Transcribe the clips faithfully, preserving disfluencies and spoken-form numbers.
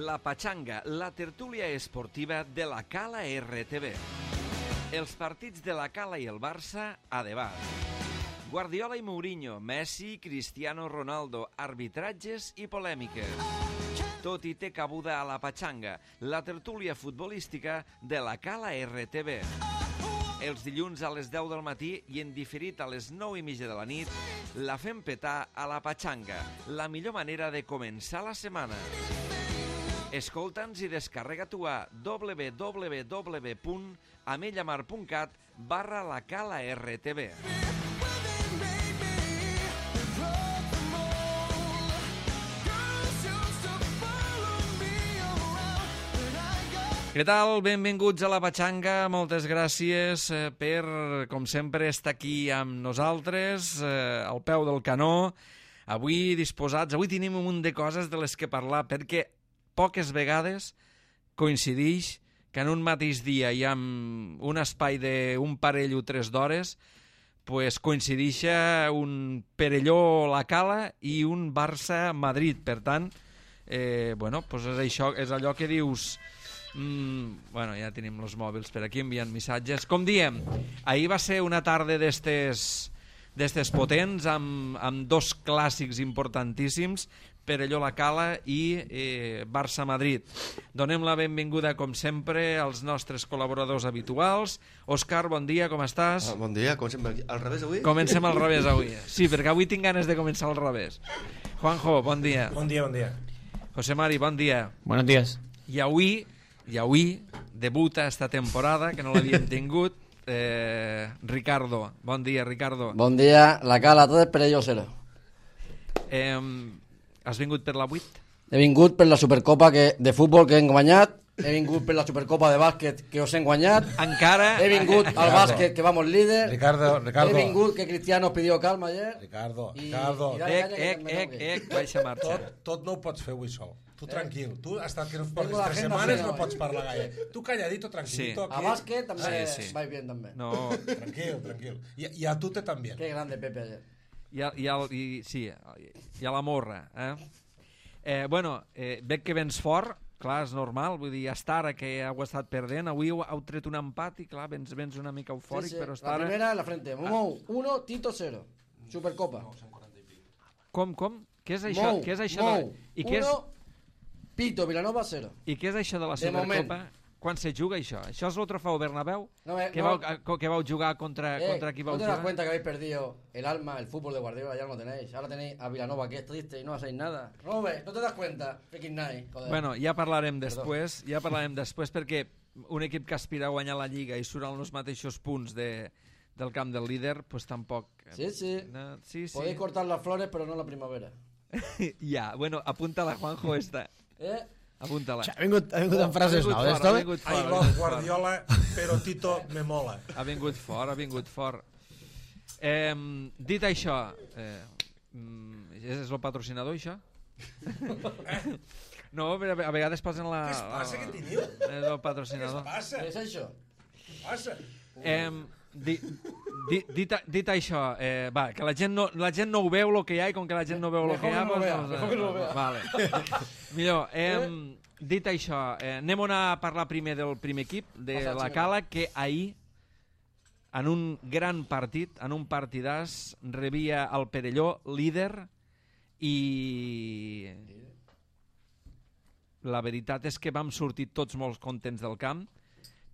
La Pachanga, la tertúlia esportiva de la Cala R T V. Els partits de la Cala i el Barça a debat. Guardiola i Mourinho, Messi, Cristiano Ronaldo, arbitratges i polèmiques. Tot i té cabuda a la Pachanga, la tertúlia futbolística de la Cala R T V. Els dilluns a les deu del matí i en diferit a les nou i mitja de la nit, la fem petar a la Pachanga, la millor manera de començar la setmana. Escolta'ns i descarrega-t'ho a w w w punt amellamar punt cat barra la Cala R T V. Què tal? Benvinguts a la Pachanga. Moltes gràcies per, com sempre, estar aquí amb nosaltres, eh, al peu del canó. Avui disposats, avui tenim un munt de coses de les que parlar, perquè poques vegades coincideix que en un mateix dia i amb un espai d'un parell o tres d'hores pues coincideix un Perelló la Cala i un Barça-Madrid. Per tant, eh, bueno, pues és, això, és allò que dius... Mm, bueno, ja tenim els mòbils per aquí enviant missatges. Com diem, ahir va ser una tarda d'estes d'estes potents amb, amb dos clàssics importantíssims, Perelló la Cala i eh, Barça-Madrid. Donem la benvinguda, com sempre, als nostres col·laboradors habituals. Òscar, bon dia, com estàs? Ah, bon dia, com sempre, al revés avui? Comencem al revés avui. Sí, perquè avui tinc ganes de començar al revés. Juanjo, bon dia. Bon dia, bon dia. José Mari, bon dia. Buenos días. I avui, i avui debuta esta temporada, que no l'havíem tingut, eh, Ricardo. Bon dia, Ricardo. Bon dia, la Cala, tot és Perelló cero. Eh, has vingut per la vuit? He vingut per la Supercopa que, de futbol que hem guanyat, he vingut per la Supercopa de bàsquet que us hem guanyat, encara... he vingut al bàsquet que vamos líder, Ricardo, Ricardo. he vingut que Cristiano pidió calma ayer. Ricardo, I, Ricardo. i dale Ec, canya que ec, també ec, no ec, baixa marxa. Tot, tot no ho pots fer avui sol. Tu tranquil. Tu has estat que no Tengo portes la tres agenda setmanes plena, no eh? pots parlar gaire. Tu calladito, tranquilito. Sí. A Aquí. bàsquet també Sí, sí. vaig bien també. No, Tranquil, tranquil. I, I a tu te també. Qué grande Pepe ayer. i, a, i, al, i, sí, i a la morra. Eh? Eh, bueno, eh, veig que vens fort, clar, és normal, vull dir, hasta ara que heu estat perdent, avui heu, heu tret un empat i clar, vens, vens una mica eufòric, Sí, sí. però hasta La ara... primera en la frente. Mou, uno, Tito cero. Supercopa. Com, com? Què és això? Mou, Què és això Mou, de... I què és, uno, Pito, Vilanova cero. I què és això de la De Supercopa? Quan se juga això? Això és el trofeu Bernabéu? No, eh, que, no. vau, que vau jugar contra, Eh, contra qui vau ¿no te das jugar? cuenta que habéis perdido el alma, el fútbol de Guardiola? Ya no lo tenéis. Ahora tenéis a Vilanova, que es triste y no hacéis nada. Robert, ¿no te das cuenta? Freaking night, joder. Bueno, ja parlarem després, ja parlarem després perquè un equip que aspira a guanyar la Lliga i surt als mateixos punts de, del camp del líder, pues tampoc... Sí, sí. No, sí, sí. Podéis cortar las flores, pero no la primavera. Ja, bueno, apunta-la, Juanjo, esta. ¿Eh? Apunta-la. Ha vingut, ha vingut amb frases Ha vingut noves, fort, ha Tome? vingut I fort, ha love vingut fort. Guardiola, però Tito me mola. Ha vingut fort, ha vingut fort. Eh, dit això, eh, mm, és el patrocinador, això? No, però a vegades posen la... Què es passa, què teniu? És el Què es patrocinador. passa? ¿Qué es eso? Què passa? Eh, di, di, dit, dit això, eh, va, que la gent, no, la gent no ho veu el que hi ha i com que la gent no veu el Mejor que hi ha... que no lo pues, vea, doncs, mejor que no lo vea. Vale. Millor, eh, dit això, eh, anem a parlar primer del primer equip, de Passa, la Ximo. Cala, que ahir, en un gran partit, en un partidàs, rebia el Perelló, líder, i la veritat és que vam sortir tots molt contents del camp,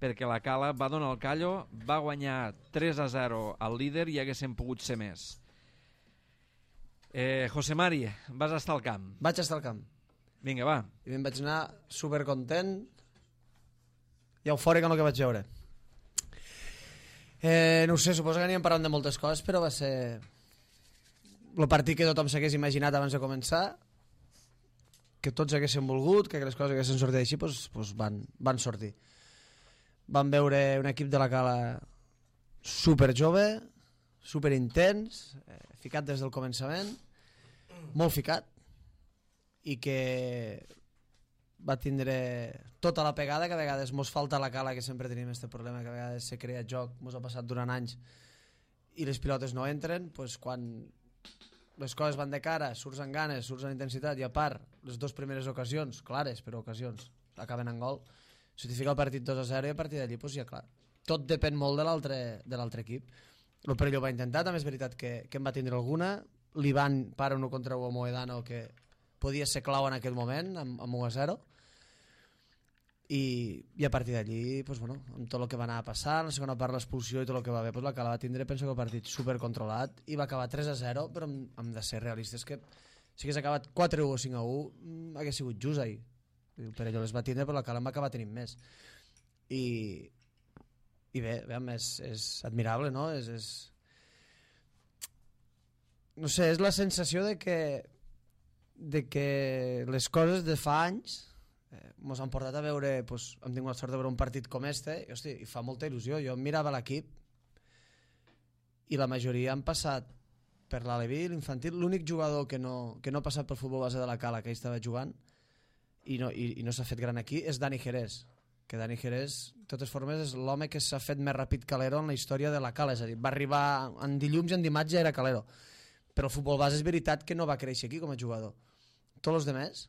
perquè la Cala va donar el callo, va guanyar tres a zero al líder i haguéssim pogut ser més. Eh, José Mari, vas estar al camp. Vaig estar al camp Vinga, va. i me'n vaig anar supercontent i eufòric amb el que vaig veure. Eh, no ho sé, suposo que anirem parlant de moltes coses, però va ser el partit que tothom s'hagués imaginat abans de començar, que tots haguessin volgut, que les coses haguessin sortit així, doncs, doncs van, van sortir. Vam veure un equip de la Cala super jove, super intens, eh, ficat des del començament, molt ficat, i que va tindre tota la pegada que a vegades mos falta a la Cala, que sempre tenim aquest problema, que a vegades se crea joc, mos ha passat durant anys i les pilotes no entren, doncs quan les coses van de cara, surts amb ganes, surts amb intensitat, i a part, les dues primeres ocasions, clares, però ocasions, acaben en gol, si t'hi fica el partit dos a zero i a partir d'allí, doncs ja clar, tot depèn molt de l'altre de l'altre equip. El Perelló va intentar, també és veritat que, que en va tindre alguna, l'Ivan para uno contra un Moedano que podia ser clau en aquell moment, amb, amb u a zero, i, i a partir d'allí, pues, bueno, amb tot el que va anar a passar, la segona part l'expulsió i tot el que va haver, pues, la Cala va tindre, penso que el partit supercontrolat, i va acabar tres a zero, però hem, hem de ser realistes que si hagués acabat quatre a u o cinc a u hagués sigut just ahir. El Perelló les va tindre, però la Cala en va acabar tenint més. I, i bé, bé és, és admirable, no? És, és... no sé, és la sensació de que de que les coses de fa anys eh, mos han portat a veure, pues, hem tingut la sort de veure un partit com este i, hosti, i fa molta il·lusió. Jo mirava l'equip i la majoria han passat per l'Aleví, l'infantil. L'únic jugador que no, que no ha passat pel futbol base de la Cala, que ell estava jugant i no, i, i no s'ha fet gran aquí, és Dani Jerez, que Dani Jerez, de totes formes, és l'home que s'ha fet més ràpid Calero en la història de la Cala, és a dir, va arribar en dilluns i en dimarts ja era Calero, però el futbol base és veritat que no va créixer aquí com a jugador. Tots els demés,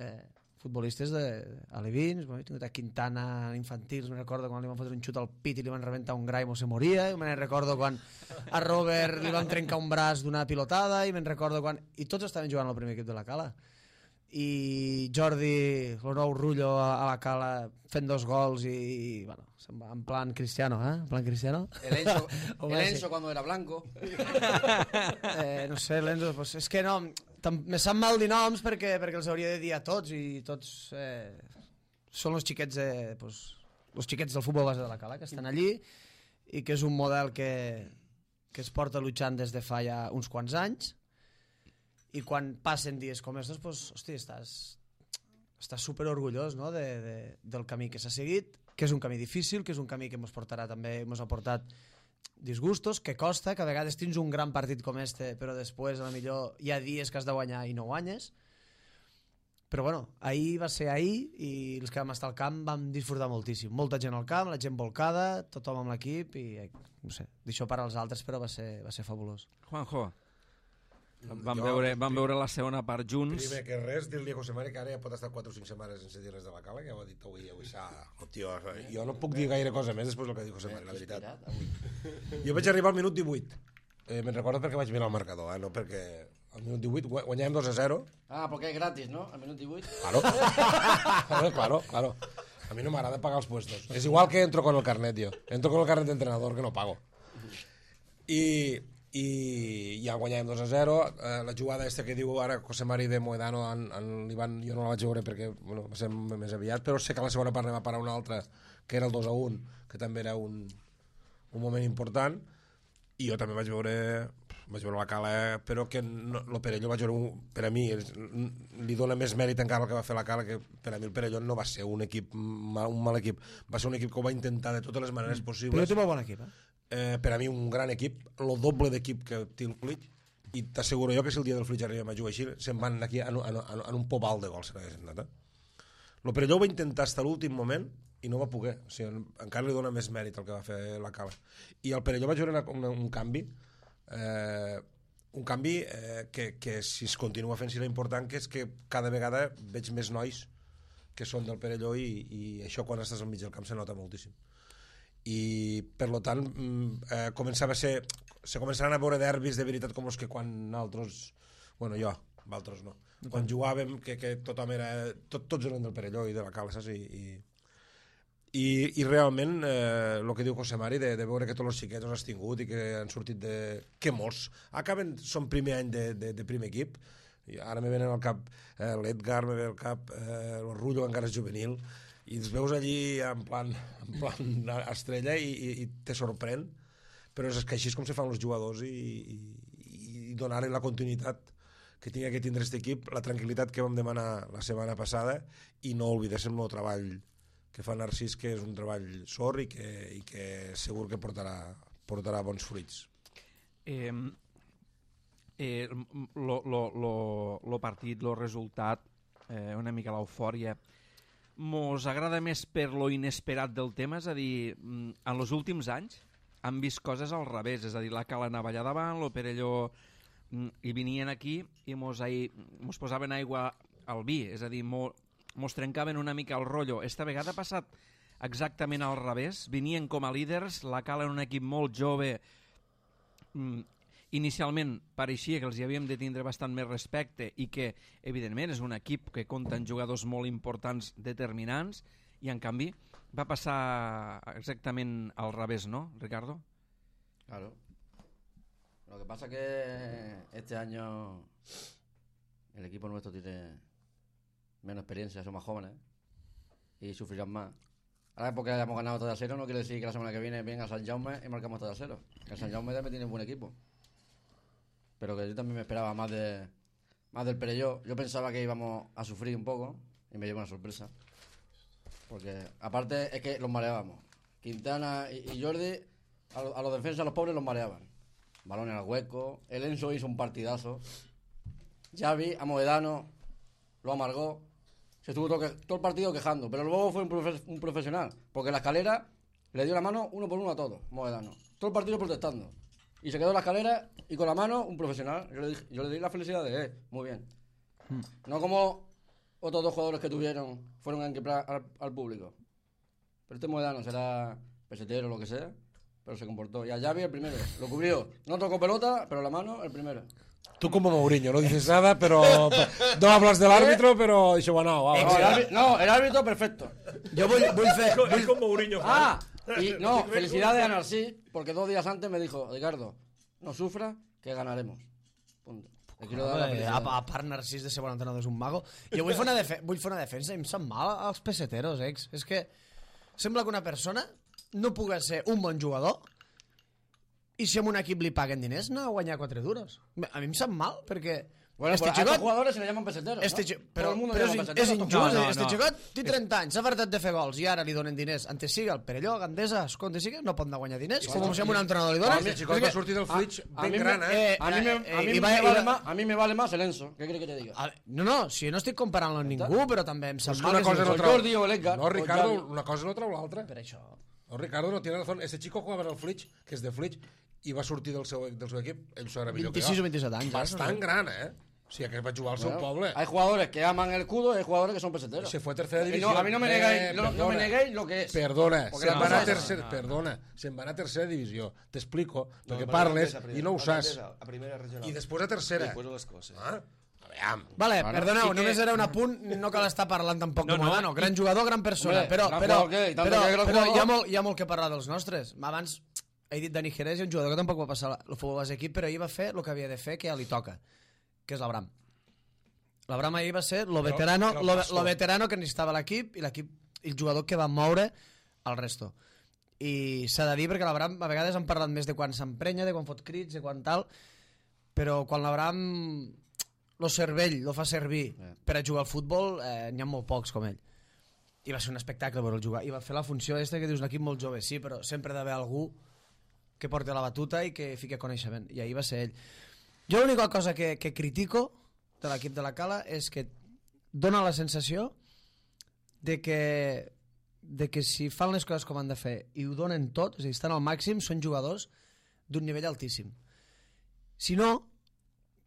eh, futbolistes d'alevins, bueno, he tingut a Quintana infantils, me'n recordo quan li van fotre un xut al pit i li van rebentar un gra i se moria, i me'n recordo quan a Robert li van trencar un braç d'una pilotada, i me'n recordo quan... I tots estaven jugant al primer equip de la Cala. I Jordi, el nou Rullo a la Cala fent dos gols i, i bueno, en plan Cristiano, eh? En plan Cristiano. El Enzo, el Enzo cuando era blanco. eh, no sé, l'Enzo, pues, és que no, me sap mal dir noms perquè, perquè els hauria de dir a tots i tots eh, són els xiquets, eh, pues, els xiquets del futbol base de la Cala que estan allí i que és un model que, que es porta luchant des de fa ja uns quants anys. I quan passen dies com estos, pues, hosti, estàs, estàs super orgullós, no? de, de, del camí que s'ha seguit, que és un camí difícil, que és un camí que ens portarà també, ens ha portat disgustos, que costa, que a vegades tens un gran partit com este, però després a la millor hi ha dies que has de guanyar i no guanyes. Però bueno, ahir va ser ahir i els que vam estar al camp vam disfrutar moltíssim. Molta gent al camp, la gent volcada, tothom amb l'equip i no sé, d'això per als altres, però va ser, va ser fabulós. Juanjo, Vam, Jo, veure, vam prim- veure la segona part junts. Primer que res, dir-li a José Mari que ara ja pot estar quatre o cinc setmanes sense dir res de la Cala, que ja ho ha dit avui, avui s'ha... Oh, tio, jo no puc dir gaire cosa més després del que diu José Mari, la veritat. Jo vaig arribar al minut divuit. Eh, me'n recordo perquè vaig mirar el marcador, eh? No perquè... Al minut divuit gu- guanyàvem dos a zero. Ah, porque es gratis, ¿no? Al minuto divuit. Claro. claro, claro, claro. A mi no m'agrada pagar els puestos. És igual que entro con el carnet, jo. Entro con el carnet d'entrenador, que no pago. I... i ja guanyàvem dos a zero. eh, la jugada aquesta que diu ara José Mari de Moedano en, en l'Ivan, jo no la vaig veure perquè bueno, va ser més aviat, però sé que a la segona part va parar una altra que era el dos a un, que també era un, un moment important, i jo també vaig veure vaig veure la Cala, però que no, el Perelló vaig veure un, per a mi és, li dona més mèrit encara el que va fer la Cala, que per a mi el Perelló no va ser un equip mal, un mal equip, va ser un equip que ho va intentar de totes les maneres possibles. Però té molt bon equip, eh? Eh, per a mi un gran equip, el doble d'equip que té el Fleet, i t'asseguro jo que si el dia del Fleet arribem a jugar així se'n van aquí en, en, en, en un pobal de gols. Eh? El Perelló ho va intentar fins a l'últim moment i no va poder, o sigui, encara li dona més mèrit el que va fer la Cala. I al Perelló vaig veure una, una, un canvi eh, un canvi eh, que, que si es continua fent serà important, que és que cada vegada veig més nois que són del Perelló i, i això quan estàs al mig del camp se nota moltíssim. I per lo tant eh, començava a ser se començaran a veure derbis de veritat com els que quan nosaltres, bueno jo altres no, quan jugàvem que, que tothom era, tot, tots eren del Perelló i de la Cala, saps? I, i, i, i realment eh, el que diu José Mari de, de veure que tots els xiquets els has tingut i que han sortit de... que molts acaben, són primer any de, de, de primer equip. I ara me venen al cap eh, l'Edgar, me ve al cap eh, el Rullo, encara és juvenil, i els veus allí en plan, en plan estrella i, i, i te sorprèn, però és que així és com se fan els jugadors i, i, i donar-li la continuïtat que tinga que tindre aquest equip, la tranquil·litat que vam demanar la setmana passada, i no oblidéssim el treball que fa Narcís, que és un treball sort i que, i que segur que portarà, portarà bons fruits. Eh, eh, lo, lo, lo, lo partit, lo resultat, eh, una mica l'eufòria, mos agrada més per lo inesperat del tema, és a dir, en els últims anys han vist coses al revés, és a dir, la Cala anava allà davant, lo Perelló i venien aquí i mos, ahí, mos posaven aigua al vi, és a dir, mo, mos trencaven una mica el rotllo. Esta vegada ha passat exactament al revés, venien com a líders, la Cala era un equip molt jove, mm, inicialment pareixia que els hi havíem de tindre bastant més respecte i que, evidentment, és un equip que compta en jugadors molt importants, determinants, i en canvi va passar exactament al revés, ¿no, Ricardo? Claro. Lo que pasa que este año el equipo nuestro tiene menos experiencia, son más jóvenes y sufrirán más. Ahora porque hayamos ganado tres a cero no quiere decir que la semana que viene venga a San Jaume y marcamos tres a cero. El San Jaume también tiene un buen equipo. Pero que yo también me esperaba más de más del Perelló. Yo pensaba que íbamos a sufrir un poco y me llevo una sorpresa. Porque aparte es que los mareábamos. Quintana y, y Jordi a, lo, a los defensas, a los pobres los mareaban. Balones al hueco. El Enzo hizo un partidazo. Xavi, a Moedano lo amargó. Se estuvo todo, que, todo el partido quejando. Pero luego fue un, profe, un profesional. Porque la escalera le dio la mano uno por uno a todos, Moedano. Todo el partido protestando. Y se quedó en la escalera y con la mano un profesional. Yo le, dije, yo le di la felicidad de él. Muy bien. Hmm. No como otros dos jugadores que tuvieron fueron a enquipar al, al público. Pero este Moedano será pesetero o lo que sea, pero se comportó. Y a Xavi el primero. Lo cubrió. No tocó pelota, pero la mano el primero. Tú como Mourinho, no dices nada, pero no hablas del árbitro, pero això va, no, va, no, el árbitro, no, el árbitro perfecto. Yo voy, voy fe, voy... Es con Mourinho. Ah, y no, felicidades a Narcís, porque dos días antes me dijo, Ricardo, no sufra, que ganaremos. Punto. Le quiero dar la felicidad. A, a part Narcís de ser bon entrenador és un mago. Jo vull fer una, defe vull fer una defensa i em sap mal als peseteros, ex. És que sembla que una persona no pugui ser un bon jugador i si a un equip li paguen diners no a guanyar quatre duros. A mi em sap mal, perquè... Bueno, este este a xicot, estos jugadores se le llaman peseteros, este ¿no? Però, Todo el però és, peseteros, és injust, no, no, este no. xicot té trenta anys, s'ha fartat de fer gols i ara li donen diners. Antes siga, el Perelló, Gandesa, Esconde siga, no pot anar a guanyar diners. Sí, Com sí, si a sí. un entrenador li donen... El xicot va sortir del Flitch a ben mí me- gran, eh? A mí me, Eh, a mí i me va- i vale va- más, a mí me vale más el Enzo. ¿Qué crees que te diga? A- No, no, si jo no estic comparant-lo amb ningú, però també em sap Es que mal una que cosa sigui no un o trau... Jordi o el Edgar, No, o Ricardo, Xavi. una cosa no trau l'altra. Per això. No, Ricardo no tiene razón. Este chico jugava en el Flitch, que és de Flitch, i va sortir del seu, del seu equip, ell s'ho era millor que jo. vint-i-sis o vint-i-set anys. Bastant eh? gran, eh? O sigui, que va jugar al seu Bueno, poble. hay jugadores que aman el escudo y hay jugadores que son peseteros. Se fue a tercera Y división. no, a mí no me Eh, negáis, no, no me perdona. neguéis lo que es. Perdona, Porque se'n la va anar a cosa és- tercera, perdona, se'n va anar a tercera divisió. T'explico, perquè No, parles a primera, i no ho a saps. primera, A primera regional. I després a tercera. Després a les coses. Ah, a veure, Vale, Bueno, perdoneu, sí que- només era un apunt, no cal estar parlant tampoc No, de no, Modano. Gran jugador, gran persona, Hombre, però, gran però, jugador què? I tant però, que gran però jugador. hi, ha molt, hi ha molt que parlar dels nostres. Abans he dit Dani Jerez, i un jugador que tampoc va passar el futbol base equip, però ahir va fer el que havia de fer, que ja li toca, que és l'Abram. L'Abram ahir va ser lo veterano, però lo, pastor. lo veterano que necessitava l'equip i l'equip el jugador que va moure el resto. I s'ha de dir perquè l'Abram a vegades han parlat més de quan s'emprenya, de quan fot crits, de quan tal, però quan l'Abram lo cervell lo fa servir Eh. per a jugar al futbol, eh, n'hi ha molt pocs com ell. I va ser un espectacle veure'l jugar. I va fer la funció aquesta que dius un equip molt jove, sí, però sempre ha d'haver algú que porti la batuta i que fiqui coneixement. I ahir va ser ell. Jo l'única cosa que, que critico de l'equip de la Cala és que dona la sensació de que, de que si fan les coses com han de fer i ho donen tot, és a dir, estan al màxim, són jugadors d'un nivell altíssim. Si no,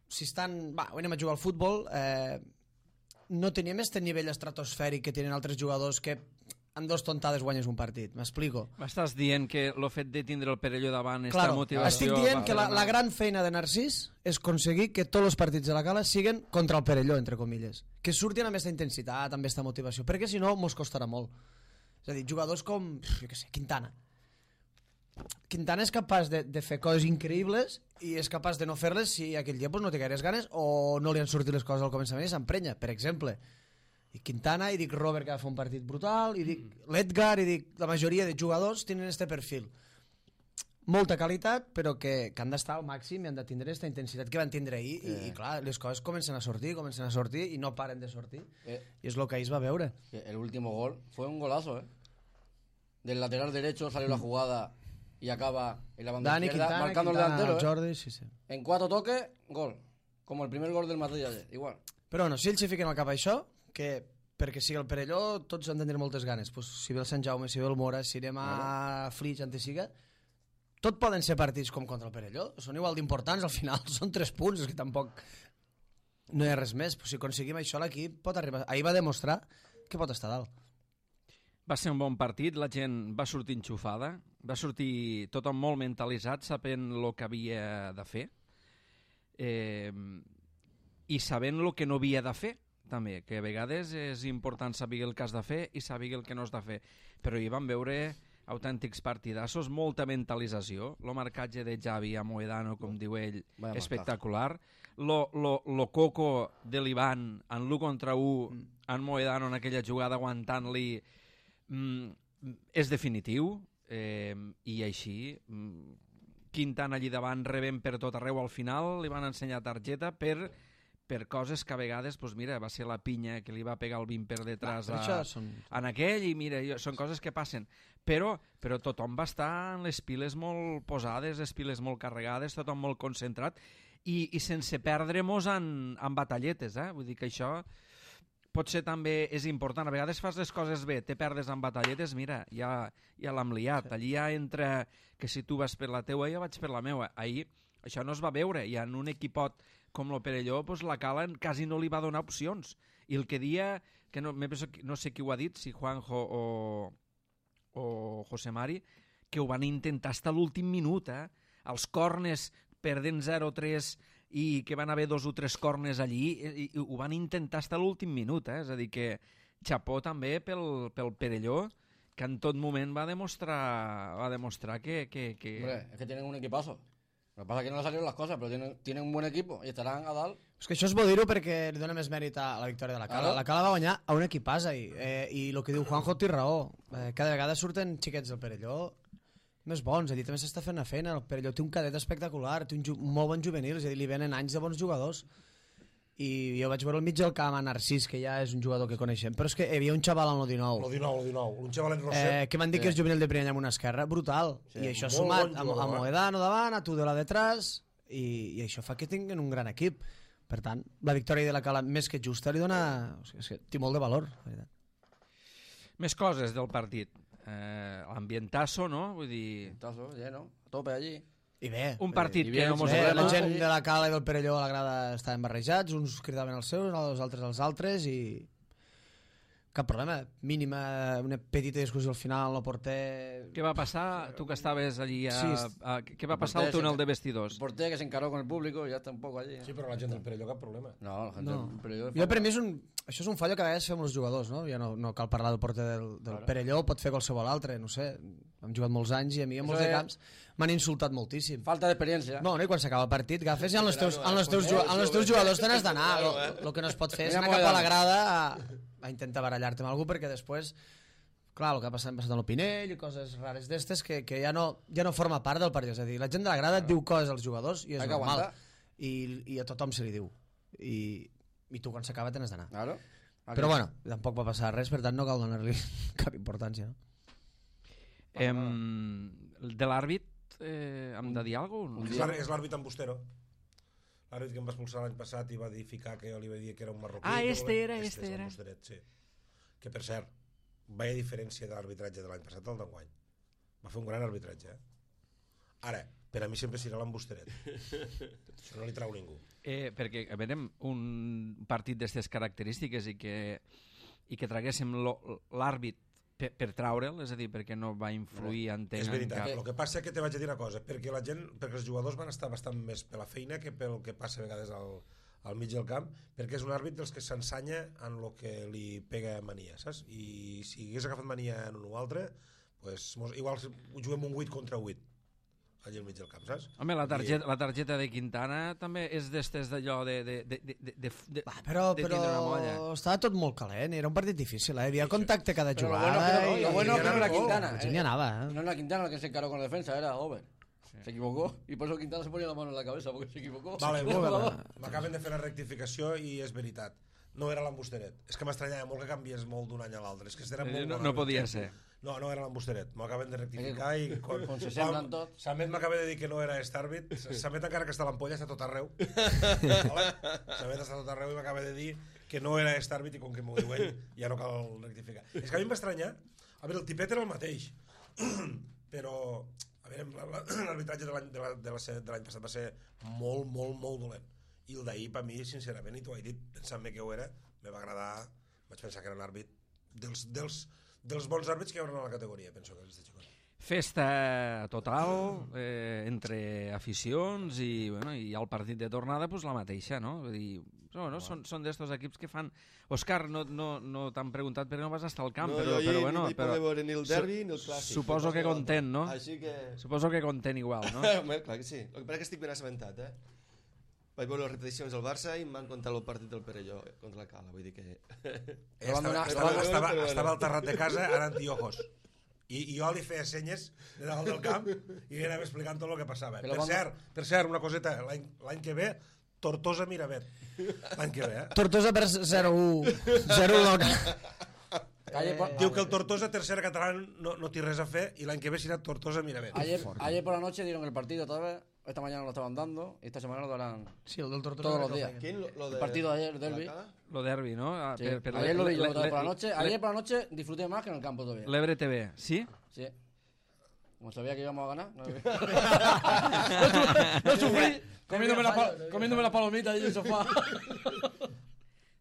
si estan... Va, anem a jugar al futbol, eh, no tenim este nivell estratosfèric que tenen altres jugadors que en dos tontades guanyes un partit. M'explico? M'estàs dient que el fet de tindre el Perelló davant, esta Claro, motivació... estic dient va que la, fer la una- gran feina de Narcís és aconseguir que tots els partits de la Cala siguen contra el Perelló, entre comilles. Que surtin amb aquesta intensitat, amb aquesta motivació, perquè si no mos costarà molt. És a dir, jugadors com, jo què sé, Quintana. Quintana és capaç de, de fer coses increïbles i és capaç de no fer-les si aquell dia pues, no té gaires ganes o no li han sortit les coses al començament i s'emprenya. Per exemple, i Quintana, i dic Robert, que va fer un partit brutal, i dic l'Edgar, i dic la majoria de jugadors tenen este perfil. Molta qualitat, però que, que han d'estar al màxim i han de tindre aquesta intensitat que van tindre ahir. I, i clar, les coses comencen a sortir, comencen a sortir i no paren de sortir. Eh, I és el que ahir es va veure. que el último gol fue un golazo, ¿eh? Del lateral derecho salió la jugada y acaba en la banda Dani, izquierda, Quintana, marcando Quintana, el delantero, ¿eh? Jordi, sí, sí. En cuatro toques, gol. Como el primer gol del Madrid ayer, igual. Però bueno, si ells s'hi fiquen al cap a això, que perquè sigui el Perelló tots han de tenir moltes ganes. Pues, si ve el Sant Jaume, si ve el Mora, si anem a Flix, antes siga, tot poden ser partits com contra el Perelló, són igual d'importants, al final són tres punts, és que tampoc no hi ha res més, però si aconseguim això l'equip pot arribar, ahir va demostrar que pot estar dalt. Va ser un bon partit, la gent va sortir enxufada, va sortir tothom molt mentalitzat, sapent el que havia de fer, eh, i sabent el que no havia de fer, també, que a vegades és important saber el que has de fer i saber el que no has de fer. Però hi vam veure autèntics partidassos, molta mentalització, el marcatge de Xavi a Moedano, com diu ell, Vaya espectacular, lo, lo, lo coco de l'Ivan en l'u contra u, Mm. en Moedano en aquella jugada aguantant-li, mm, és definitiu, eh, i així mm, Quintana allí davant rebent per tot arreu, al final li van ensenyar targeta per per coses que a vegades, doncs mira, va ser la pinya que li va pegar el vint per detrás Clar, a, això són... en aquell, i mira, jo, són coses que passen, però, però tothom va estar en les piles molt posades, les piles molt carregades, tothom molt concentrat, i, i sense perdre-mos en, en batalletes, eh? Vull dir que això potser també és important. A vegades fas les coses bé, te perdes en batalletes, mira, ja, ja l'hem liat. Sí. Allí ja entra que si tu vas per la teua, jo vaig per la meua. Ahir això no es va veure, i en un equipot com el Perelló, doncs la Cala quasi no li va donar opcions. I el que dia, que no, no sé qui ho ha dit, si Juanjo o, o José Mari, que ho van intentar fins a l'últim minut, eh? Els cornes perdent zero tres i que van haver dos o tres cornes allí, i, i ho van intentar fins a l'últim minut, eh? És a dir que xapó també pel, pel Perelló, que en tot moment va demostrar, va demostrar que... que, que... Hombre, es que tienen un equipazo. Lo que pasa es que no le salieron las cosas, pero tienen, tienen un buen equipo y estarán a dalt. És que això és bo dir-ho perquè li dona més mèrit a la victòria de la Cala. Claro. La Cala va guanyar a un equipàs ahir, eh, i el que diu Juanjo té raó. Eh, cada vegada surten xiquets del Perelló més bons, allí també s'està fent la feina. El Perelló té un cadet espectacular, té un, un molt bon juvenil, és a dir, li venen anys de bons jugadors. I jo vaig veure al mig del camp a Narcís, que ja és un jugador que coneixem, però és que hi havia un xaval en el dinou, El dinou, el dinou. Un xavalet eh, Roset. que van dir que és juvenil de primer any amb una esquerra, brutal. Sí, I això molt sumat bon a, jugador, a eh? Moedano davant, a Tudela detrás, i, i això fa que tinguin un gran equip. Per tant, la victòria de la Cala més que justa li dona... O sigui, és que té molt de valor, la veritat. Més coses del partit. Eh, L'ambientasso, no? Vull dir... Tazo, lleno, a tope allí. I bé, Un partit i que bien, no mos bé, volem... la gent de la Cala i del Perelló a la grada estaven barrejats, uns cridaven els seus, els altres els altres, i cap problema, mínima, una petita discussió al final, el porter... Què va passar? Tu que estaves allí a... Sí. a què va passar al túnel de vestidors? El porter que se encaró con el público y ya está un poco allí. Sí, però la gent del Perelló cap problema. No, la gente No. del Perelló... Jo per mi és un... Això és un fallo que a vegades fem els jugadors, no? Ja no, no cal parlar del porter del, del Claro. Perelló, pot fer qualsevol altre, no sé. Hem jugat molts anys i a mi en Eso molts de es- camps m'han insultat moltíssim. Falta d'experiència. No, no, i quan s'acaba el partit, agafes i amb els teus, amb els teus, ju- amb els teus jugadors te n'has d'anar. El que no es pot fer és Mira, anar cap a la Moedano. grada a, a intentar barallar-te amb algú, perquè després, clar, el que ha passat, ha passat amb el Pinell i coses rares d'estes que, que ja, no, ja no forma part del partit. És a dir, la gent de la grada et diu coses als jugadors i és Hay que normal. aguantar. I, I a tothom se li diu. I, i tu quan s'acaba te n'has d'anar. Claro. Però bueno, tampoc va passar res, per tant no cal donar-li cap importància. No? Em, de l'àrbit, eh, hem de dir alguna cosa? És l'àr- és l'àrbit Ambustero. L'àrbit que em va expulsar l'any passat i va edificar que jo li va dir que era un marroquí. Ah, que este vol- era, este este és el era. Ambusteret, sí. Que per cert, veia diferència de l'arbitratge de l'any passat al d'enguany. Va fer un gran arbitratge, eh? Ara, per a mi sempre serà l'Ambusteret. Això no li trau ningú. Eh, perquè a veure, un partit d'aquestes característiques i que, i que traguéssim lo- l'àrbit per, per traure'l, és a dir, perquè no va influir, entenc, És en veritat, cap... el que passa és que te vaig a dir una cosa, perquè la gent, perquè els jugadors van estar bastant més per la feina que pel que passa a vegades al, al mig del camp, perquè és un àrbit dels que s'ensanya en el que li pega mania, saps? I si hagués agafat mania en un o altre, pues, mos- igual ho juguem un vuit contra vuit allà al mig del camp, saps? Home, la targeta, la targeta de Quintana també és d'estes d'allò de, de, de, de, de, de, de, Va, però, de però tindre una molla. estava tot molt calent, era un partit difícil, eh? Hi havia contacte cada Pero lo jugada. bueno, que no, i- lo bueno y que no era ganaba Quintana. La gent hi anava, eh? No era Quintana el que se encaró con la defensa, era Over. Se equivocó y por eso Quintana se ponía la mano en la cabeza porque se equivocó. Vale, El molt jugador. bé. M'acaben de fer la rectificació i és veritat. No era l'Ambusteret. És que m'estranyava molt que canvies molt d'un any a l'altre. És que era Eh, molt no- bon no àrbit. podia ser. No, no era l'Ambusteret. M'ho acaben de rectificar i... Quan, Com se semblen tots. Samet m'acaba de dir que no era aquest àrbit. Samet, encara que està a l'ampolla, està tot arreu. Vale? Samet està tot arreu i m'acaba de dir que no era aquest àrbit i com que m'ho diu ell ja no cal rectificar. És que a mi em va estranyar. A veure, el tipet era el mateix. Però A veure, l'arbitratge de l'any de la, de la, de l'any passat va ser molt, molt, molt dolent. I el d'ahir, per mi, sincerament, i t'ho he dit, pensant-me que ho era, me va agradar, vaig pensar que era un àrbit dels, dels, dels bons àrbits que hi haurà a la categoria, penso que és de xicot. Festa total eh, entre aficions i, bueno, i al partit de tornada pues, la mateixa, no? Vull dir, bueno, són, són d'estos equips que fan... Òscar, no, no, no t'han preguntat perquè no vas estar al camp, No, però, jo però ahir bueno... no hi però, poder veure ni el derbi ni el clàssic. Suposo que content, no? Així que... Suposo que content igual, no? Home, clar que sí. El que passa que estic ben assabentat, eh? Vaig veure les repeticions del Barça i em van contar el partit del Perelló contra la Cala, vull dir que... Eh, estava, estava, estava, estava al terrat de casa, ara antiojos. I, i jo li feia senyes de dalt del camp i li anava explicant tot el que passava. Per cert, per cert, una coseta, l'any l'any que ve, Tortosa Miravet. L'any que ve, eh? Tortosa per zero u. zero u del Diu que el Tortosa tercera catalán no, no té res a fer y l'any que ve será Tortosa Miravet. Ayer, ayer por la noche dieron el partido otra vez. Esta mañana lo estaban dando y esta semana lo darán Sí, el del Tortosa todos los días. ¿Quién? Lo, lo de, El partido de ayer, el derbi. Lo derbi, ¿no? Ah, Sí. per- per Ayer lo vi yo le- otra vez le- por la noche. le- Ayer por la noche disfruté más que en el campo todavía. L'Ebre T V, sí? Sí. Como sabía que íbamos a ganar. No, No sufrí. comiéndome, la pa- comiéndome la palomita ahí en el sofá.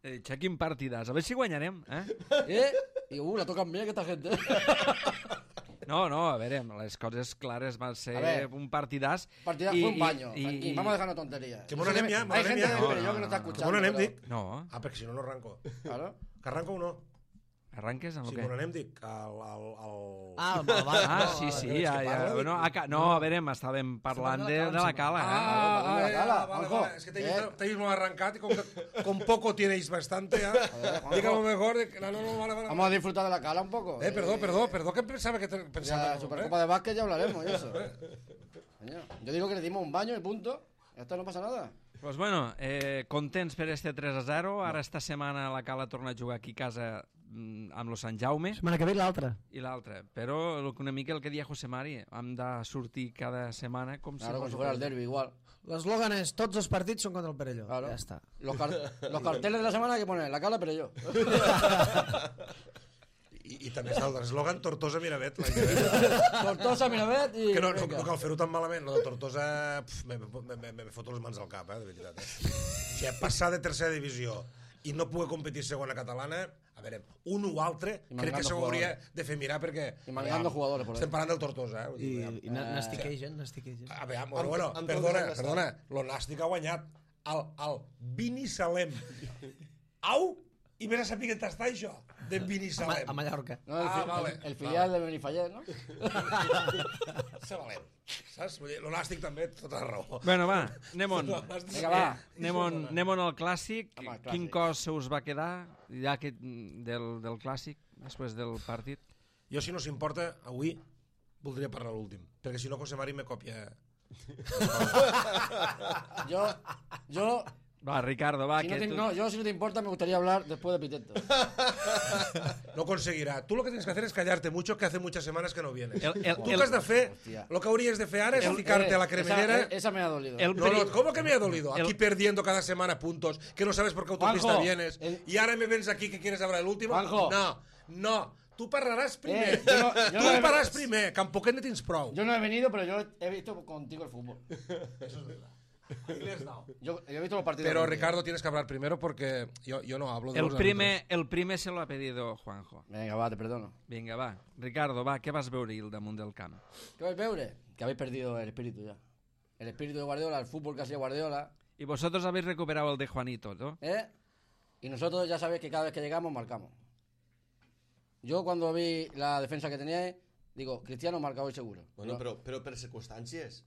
Eh, quin partidàs. A veure si guanyarem, eh? ¿Eh? Y uh, la tocan bien que esta gente. No, no, a veure, les coses clares van ser A ver, un partidàs. Partida i- fue un i- baño. i- tranquil, i- vamos a dejarnos tonterías. Que bona anem ja, bona Hay anem gente ja. del No, Perelló no, que no está no. Que escuchando. bon anem, pero- dic. No, Ah, Ah, perquè si no, no arranco. Claro. Que arranco o no? arranques amb Si el bon què? anem, dic, el... el, el... Ah, va, va, Ah, sí, sí, ja, ja. parla, No, a, ca- no, a veure, estàvem parlant de, de la cala, eh? Ah, Ah, vale, cala, ah, vale, Juanjo. vale. Es que tenéis, Eh. tenéis muy arrancado y con, con poco tenéis bastante, ¿eh? Juanjo. Dígame mejor. de que- No, no, no, vale, vale. Vamos a disfrutar de la cala un poco. Eh, perdón, perdón, perdón, que pensaba que te, pensaba Ya, que- Supercopa de básquet ya hablaremos y eso. Coño, yo digo que le dimos un baño y punto. Esto no pasa nada. Pues bueno, eh, contents per este tres a zero. Ara esta setmana la Cala torna a jugar aquí a casa mm, amb lo Sant Jaume Setmana que ve l'altra. i l'altre. Però el- una mica el que deia José Mari, hem de sortir cada setmana com si Claro, como fos si fuera el el- derbi igual. L'eslògan és tots els partits són contra el Perelló. Claro. Ja està. Los, car- los carteles de la semana hay que poner la cala, pero yo. I, i també està l'eslògan Tortosa Miravet. l'any que ve. Tortosa, Miravet y. Que no, no, venga. no cal fer-ho tan malament. Lo de Tortosa, pf, me, me, me, me foto les mans al cap, eh, de veritat. Eh. O sigui, passar de tercera divisió i no poder competir segona catalana, a veure, un o altre, I crec que mangando s'ho hauria jugadores. de fer mirar perquè... I mangando aviam, jugadores por ahí. Estem parlant del Tortosa, eh? Vull I, dir, aviam. i n'estiquegen, n'estiquegen. A veure, bueno, bueno, amb tot perdona, el que està. perdona, lo Nàstic ha guanyat el, el Binissalem. Au! I vés a saber què t'està això, de A, Ma- Binissalem. a Mallorca. No, el, Ah, fi- vale. el, el filial de Benifallet, ¿no? Se valent. Saps? Vull dir, lo Nàstic també, tota la raó. Bueno, va, anem on. Vinga, va. Anem on, anem on al clàssic. Home, el Quin clàssic. cos se us va quedar ja que, del, del clàssic, després del partit? Jo, si no s'importa, avui voldria parlar l'últim, perquè si no José Mari me copia. Yo. Yo. Va, Ricardo, va, Si no, que te, tu... no, yo, si no te importa, me gustaría hablar después de Piteto. No conseguirá. Tú lo que tienes que hacer es callarte mucho, que hace muchas semanas que no vienes. El- el- Tú el- que has de fer, Hostia. lo que hauries de fer ara és El- ficarte a la eh, cremallera. Esa, esa me ha dolido. El- No, no, ¿cómo que me ha dolido? Aquí El- perdiendo cada semana puntos, que no sabes por qué autopista Juanjo, vienes, el- y ahora me ves aquí que quieres hablar el último. Juanjo. No, no. Tu parlaràs primer. Eh, yo no- yo tu no he- parlaràs primer, que amb poquet ne tens prou. Yo no he venido, pero yo he visto contigo el fútbol. Yo, yo he visto los partidos. Pero contigo. Ricardo, tienes que hablar primero porque yo, yo no hablo de El los primer, el primer se lo ha pedido Juanjo. Venga, va, te perdono. Vinga, va. Ricardo, va, què vas veure al damunt del camp? ¿Qué vais a ver? Que habéis perdido el espíritu ya. El espíritu de Guardiola, el fútbol que hacía Guardiola. Y vosotros habéis recuperado el de Juanito, ¿no? ¿Eh? Y nosotros ya sabéis que cada vez que llegamos marcamos. Yo cuando vi la defensa que teníais, digo, Cristiano marca hoy seguro. Bueno, No, però, però per circumstàncies.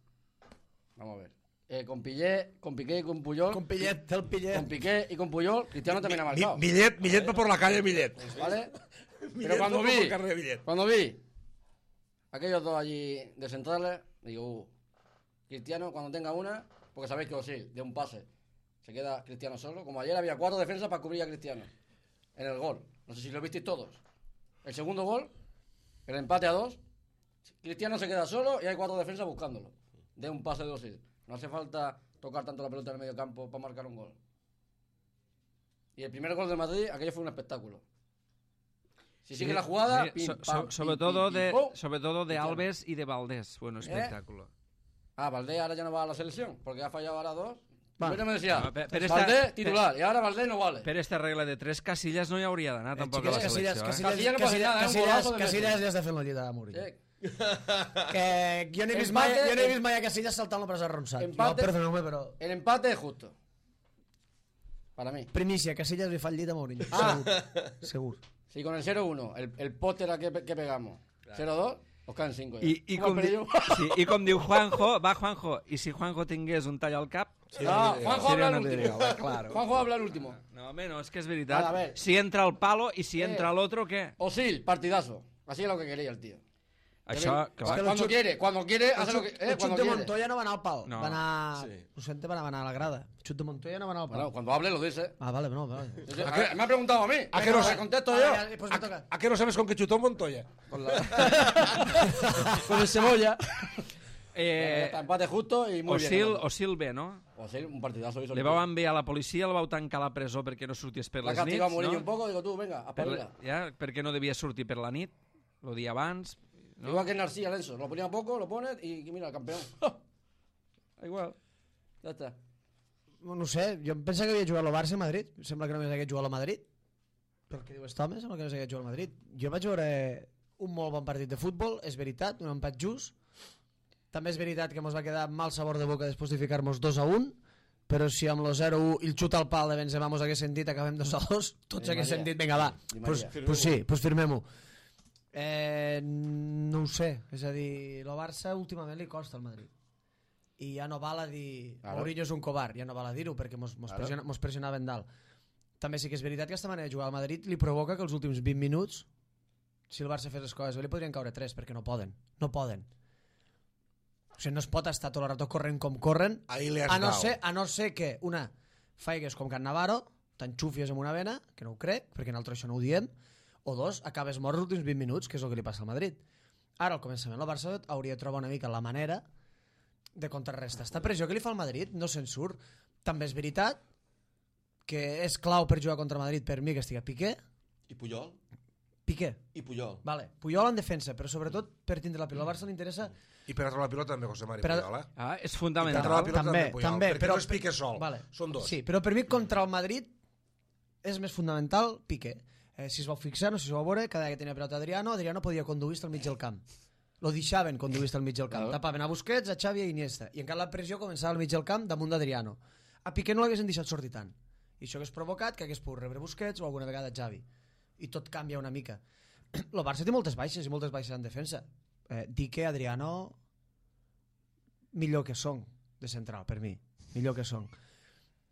Vamos a ver. Eh, con Piqué, con Piqué y con Puyol. Con Pillet, té el Pillet. Con Piqué y con Puyol, Cristiano también ha marcado. Mi, Millet, Millet va por la calle, Millet. ¿Vale? Millet Pero cuando va por vi, el carrer de Millet. cuando vi aquellos dos allí de centrales, digo, uh, Cristiano cuando tenga una, porque sabéis que Osil, de un pase, se queda Cristiano solo. Como ayer había cuatro defensas para cubrir a Cristiano en el gol. No sé si lo visteis todos. El segundo gol, el empate a dos, Cristiano se queda solo y hay cuatro defensas buscándolo. De un pase de Osil. No hace falta tocar tanto la pelota en el medio campo para marcar un gol. Y el primer gol de Madrid, aquello fue un espectáculo. Si sigue la jugada, Sí, pim, so- pam, so- pim, sobre pim, todo pim, de pum. sobre todo de Cristiano. Alves y de Valdés. Bueno, espectáculo. Ah, Valdés ahora ya no va a la selección, porque ha fallado ahora dos. Vale. Primero me decía, No, pe- pero Valdés esta- titular, y ahora Valdés no vale. Per esta regla de tres casillas no hi hauria d'anar Eh, tampoc xiquets, a la Casillas, selecció. Eh? Casillas, Casillas no passa Casillas, nada, eh, un Casillas, golazo de Casillas Messi. ja està fent la llita de Mourinho. Sí. Que jo no he vist mai, Empate, jo no he em- vist mai a Casillas saltant la presa arronsat. Empate. Jo, perdoneu-me, però... El empate es justo. Para mí. Primícia, Casillas li fa el llit a Mourinho. Ah. Segur. Segur. Si con el cero uno, el, el póster a que, que pegamos, cero dos, os caen cinco. I, i, com di, sí, I com diu Juanjo, va Juanjo, i si Juanjo tingués un tall al cap... No, Juanjo habla el no último. diría, va, claro. Juanjo habla el último. No, home, no, és que és veritat. A ver. Si entra el palo i si entra Eh. l'otro, què? Osil, partidazo. Así es lo que quería el tío. Això, Que clar, cuando chut- quiere, cuando quiere, El hace lo xut, que, eh, el xut cuando de quiere. Montoya no va anar al pal. No. Va anar... Sí. Ho sento, va anar a la grada. El xut de Montoya no va anar al pal. Bueno, cuando hable lo dice. Ah, vale, no, vale. A ver, me ha preguntado a mí. ¿A qué no Venga, sé? contesto Vale, yo. ya, pues me toca. ¿A qué no sabes con qué chutó Montoya? Con, la... con el cebolla. eh, Está, empate justo y muy Osil, bien. Osil bé, no? Osil, un partidazo hizo. Le el vau tío. enviar a la policia, el vau tancar a la presó perquè no sortís per La les castigado a nits, Mourinho no? un poco, digo tú, venga, Per, apabila. ja, perquè no devia sortir per la nit, el dia abans. No? Igual que en Narcía, Lenzo. Lo ponía poco, lo pones y mira, el campeón. Igual. Ya está. No ho sé, jo em pensa que havia jugat al Barça a Madrid. Sembla que només hagués jugat al Madrid. Pel que diu aquest home, sembla que només hagués jugat al Madrid. Jo vaig veure un molt bon partit de futbol, és veritat, un empat just. També és veritat que ens va quedar mal sabor de boca després de ficar-nos dos a un, però si amb el zero a u i el xut al pal de Benzema mos hagués sentit acabem dos a dos, tots Di hagués Maria. sentit, vinga va, Di pues, Maria. pues sí, pues firmem-ho. Eh, no ho sé, és a dir, el Barça últimament li costa al Madrid. I ja no val a dir Claro. Mourinho és un covard, ja no val a dir-ho perquè mos, mos, Claro. pressiona, mos pressionaven dalt. També sí que és veritat que aquesta manera de jugar al Madrid li provoca que els últims vint minuts, si el Barça fes les coses bé, li podrien caure tres, perquè no poden, no poden. O sigui, no es pot estar tot el rato corrent com corren, Ahí le has a no, dado. ser, a no ser que, una, faigues com Can Navarro, t'enxufies amb una vena, que no ho crec, perquè nosaltres això no ho diem, o dos, acabes mort els últims vint minuts, que és el que li passa al Madrid. Ara, al començament, el Barça hauria de trobar una mica la manera de contrarrestar esta pressió que li fa al Madrid, no se'n surt. També és veritat que és clau per jugar contra Madrid per mi que estigui Piqué. I Puyol? Piqué, I Puyol. vale. Puyol en defensa, però sobretot per tindre la pilota. Al Barça li interessa... I per a treure la pilota també José Mari Per a- Puyol, eh? Ah, és I per a fundamental. treure la pilota també, també, Puyol, també, perquè però- no es Piqué sol, Vale. són dos. Sí, però per mi contra el Madrid és més fundamental Piqué. Eh, si es vau fixar, no sé si es vau veure, cada vegada que tenia pilota Adriano, Adriano podia conduir al mig del camp. Lo deixaven conduir al mig del camp. Claro. Tapaven a Busquets, a Xavi i a Iniesta. I encara la pressió començava al mig del camp damunt d'Adriano. A Piqué no l'haguessin deixat sortir tant. I això hagués provocat que hagués pogut rebre Busquets o alguna vegada Xavi. I tot canvia una mica. El Barça té moltes baixes i moltes baixes en defensa. Eh, dir que Adriano millor que són de central, per mi. Millor que són.